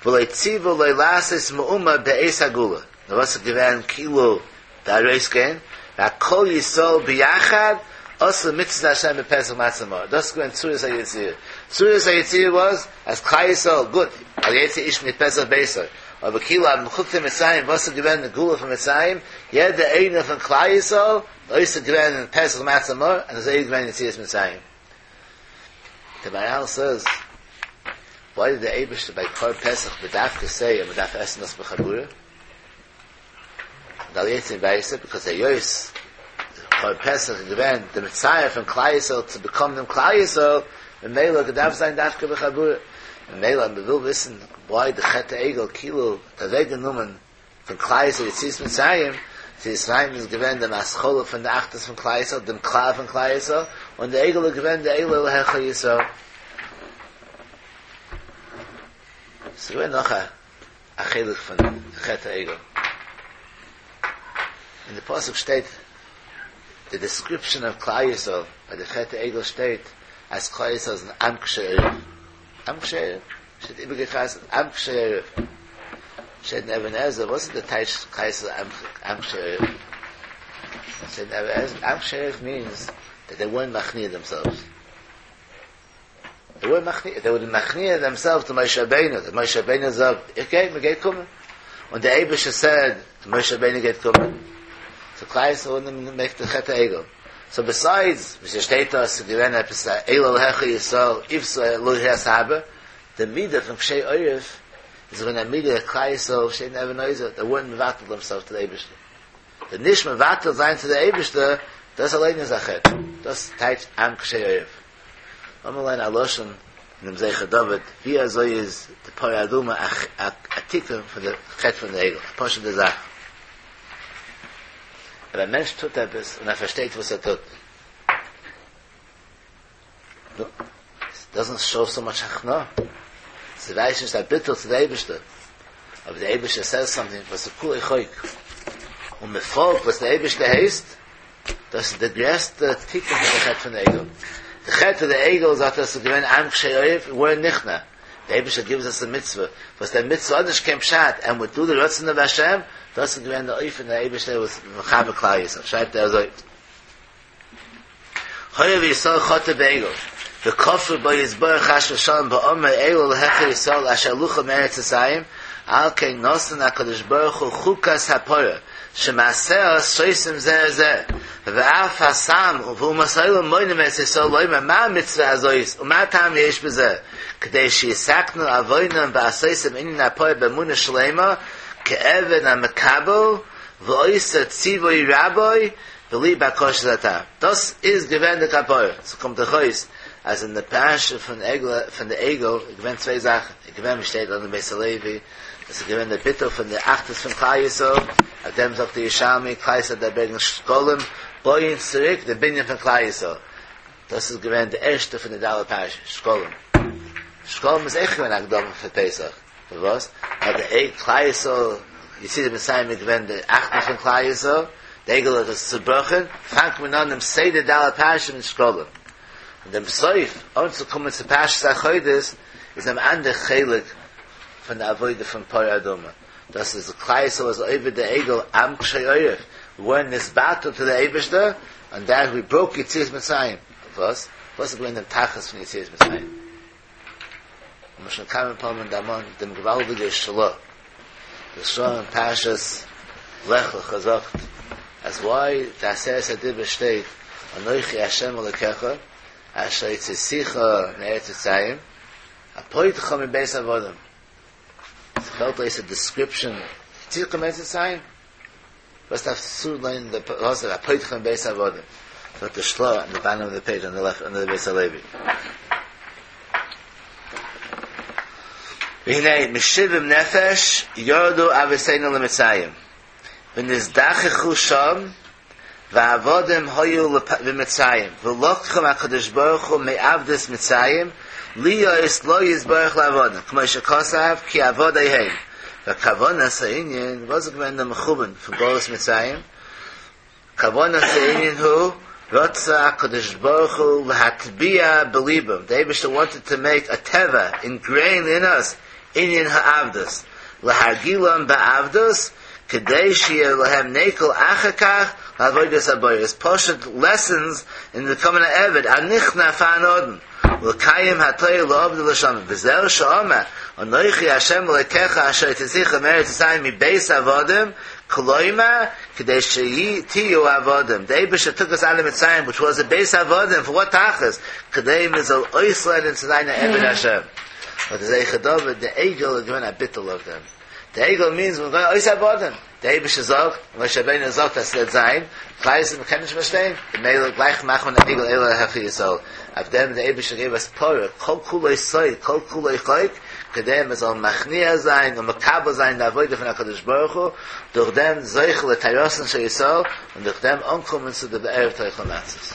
ולא ציוו לו לעשות מאומה בעת הגאולה, נו וואס איז געווען כאילו די ארויסגיין, רק כל ישראל ביחד עשו מצוות השם בפסח מצה ומרור, דאס איז געווען צורת היציאה, צורת היציאה וואס אז כלל ישראל גוט, אל יצא איש מפתח ביתו, אבער כאילו אז מ'קוקט אין מצרים וואס איז געווען די גאולה פון מצרים, יעדער איינער פון כלל ישראל עוסק געווען אין פסח מצה ומרור און אזוי איז געווען יציאת מצרים. די מהר"ל סעז, וויי דיד די אייבערשטער ביי קרבן פסח בדווקא סעי אז מ'דארף עסן דאס בחבורה? אל יצא מביתו ביקאוז היות קרבן פסח איז געווען די מצער פון כלל ישראל צו באקומען דעם כלל ישראל ממילא געדארפט זיין דווקא בחבורה ממילא אז מ'וויל וויסן וויי די חטא העגל כאילו האט אוועק גענומען פון כלל ישראל יציאת מצרים, יציאת מצרים איז געווען דעם התחלה פון די אחדות פון כלל ישראל דעם כלל פון כלל ישראל און די עגל איז געווען די עולה להיכל ישראל. ס'איז געווען נאך א א חלק פון חטא העגל. אין די פסוק שטייט די דעסקריפשאן אוו כלל ישראל ביי די חטא העגל שטייט אז כלל ישראל איז אן עם קשה עורף. עם קשה עורף שטייט איבערגעחזרט עם קשה עורף. שטייט אין אבן עזרא וואס איז די טייטש כלל ישראל עם קשה עורף? שטייט אין אבן עזרא עם קשה עורף מיענס דעט דעי ווערנט מכניע דעמסעלווס. דעי ווערנט מכניע, דעי וואוד מכניע דעמסעלווס טו משה רבינו, דעט משה רבינו זאגט, איך גיי, מען גייט קומען. און דער אייבערשטער סעד, משה רבינו גייט קומען. סאו כלל ישראל וואודנט מעיק די חטא העגל. סאו ביסיידס, ווי ס'שטייט דא, ס'איז געווען עפעס א אלה אלהיך ישראל, עותה אלהי סבא, די מידה פון קשי עורף, איז געווען א מידה כלל ישראל שטייט אין אבן העזר, דעי ווארנט מבטל דעמסעלווס טו די אייבערשטער. די נישט מבטל זיין צו די אייבערשטער, דאס אליין איז א חטא. דאס טייטש עם קשה עורף. לאמיר ליינען א לשון אין דעם זכר דוד, ווי אזוי איז די פרה אדומה א תיקון פון די חטא פון די עגל, א פשוט'ע זאך. אויב א מענטש טוט עפעס און ער פארשטייט וואס ער טוט, נו, איט דאזענט שאו סאו מאטש הכנעה, ס'ווייזט נישט א ביטול צו די אייבערשטער, אבער די אייבערשטער סעז סאמטינג וואס איז כולו חוק, און מען פאלגט וואס די אייבערשטער הייסט, דאס איז די גרעסטע תיקון פון די חטא פון די עגל. די חטא פון די עגל זאגט אז עס איז געווען עם קשה עורף ווערנט נכנע. די אייבערשטער גיבט אונז א מצוה, וואס דער מצוה האט נישט קיין פשט, ענד ווי דו די רצון אוו השם, דאס איז געווען די אופן די אייבערשטער וואס מחבר כלל ישראל, שרייבט ער אזוי. הואיל וישראל חטאו בעגל, וכפרו בו יתברך חס ושלום באמרו אלה אלהיך ישראל אשר העלוך מארץ מצרים, על כן נתן הקדוש ברוך הוא חוקת הפרה, שמעשיה סותים זה את זה, ואף הסם ואומות העולם מונעים את ישראל לומר מה המצוה הזאת ומה טעם יש בזה, כדי שיתקנו עוונם בעשותם ענין הפרה באמונה שלימה, כעבד המקבל ועושה ציווי רבו בלי בקשת הטעם. דאס איז געווען די כפרה. ס'קומט דאך אויס אז אין די פרשה פון עגל פון די עגל איז געווען צוויי זאכן, איז געווען ווי שטייט אין בית הלוי, עס איז געווען די ביטול פון די אחדות פון כלל ישראל, אויף דעם זאגט די ירושלמי כלל ישראל דארף ברענגען שקלים, בויען צוריק די בנין פון כלל ישראל. דאס איז געווען די ערשטע פון די ד' פרשיות, שקלים. שקלים איז אויך געווען א הקדמה פאר פסח. פארוואס? ווייל די עגל כלל ישראל יציאת מצרים איז געווען די אחדות פון כלל ישראל, די עגל האט עס צובראכן, פאנגט מען אן דעם סדר ד' פרשיות מיט שקלים. און דעם סוף, אנצוקומען צו פרשת החודש, איז אן אנדער חלק פון די עבודה פון פרה אדומה. דאס איז כלל ישראל איז עובד די עגל עם קשה עורף, ווער נתבטל צו די אייבערשטער, און דעט ווי בראוק יציאת מצרים. וואס? וואס איז געווען דעם תכלית פון יציאת מצרים? האבן שוין כמה פעמים דערמאנט דעם געוואלדיגע של"ה, דער של"ה אין פרשת לך לך זאגט אז וויי די עשרת הדיברות שטייט אנכי ה' אלקיך אשר הוצאתיך מארץ מצרים הפוטרך מבית עבדים, ס'פעלט אויס א דיסקריפשאן הוצאתיך מארץ מצרים? וואס דארף צולייגן די פסוק הפוטרך מבית עבדים? זאגט די של"ה אין די באטאם אוו די פעידזש אן די לעפט אנדער די בית הלוי. והנה משבעים נפש ירדו אבותינו למצרים ונזדככו שם ועבדים היו במצרים ולקחם הקדוש ברוך הוא מעבדות מצרים להיות לו יתברך לעבדים כמו שכתב כי עבדי הם וכוונת הענין וואס איז געווען דער מכוון פון גלות מצרים כוונת הענין הוא רצה הקדוש ברוך הוא להטביע בליבם די אייבערשטער וואנטעד טו מעיק א טבע אינגרעינד אין אס ענין העבדות להרגילם בעבדות כדי שיהיה להם נקל אחר כך לעבודת הבורא איז פשוט לעסענס אין ביקאמינג א עבד א נכנע פארן אדון ולקיים התורה לעבדו ולשמרו וזהו שאמר אנכי ה' אלקיך אשר הוצאתיך מארץ מצרים מבית עבדים כלומר כדי שתהיו עבדים די אייבערשטער טוק אס אוט אוו מצרים וויטש וואס א בית עבדים פאר וואט תכלית כדי מען זאל אויסלערנען צו זיין א עבד השם באט די זכר דוד די עגל איז געווען א ביטול אויף דעם די עגל מינס מיר גייען אויס עבדים, די אייבערשטער זאגט, און משה רבינו זאגט אז ס'וועט זיין, כלל ישראל מ'קען נישט פארשטיין, ממילא גלייך מאכט מען א עגל אלה אלהיך ישראל, אויף דעם די אייבערשטער געב אס פרה, כל כולו סוד, כל כולו חוק, כדי מען זאל מכניע זיין און מקבל זיין די עבודה פון הקדוש ברוך הוא, דורך דעם זוכה לטהרתן של ישראל, און דורך דעם אנקומען צו די בערב תאכלו מצות.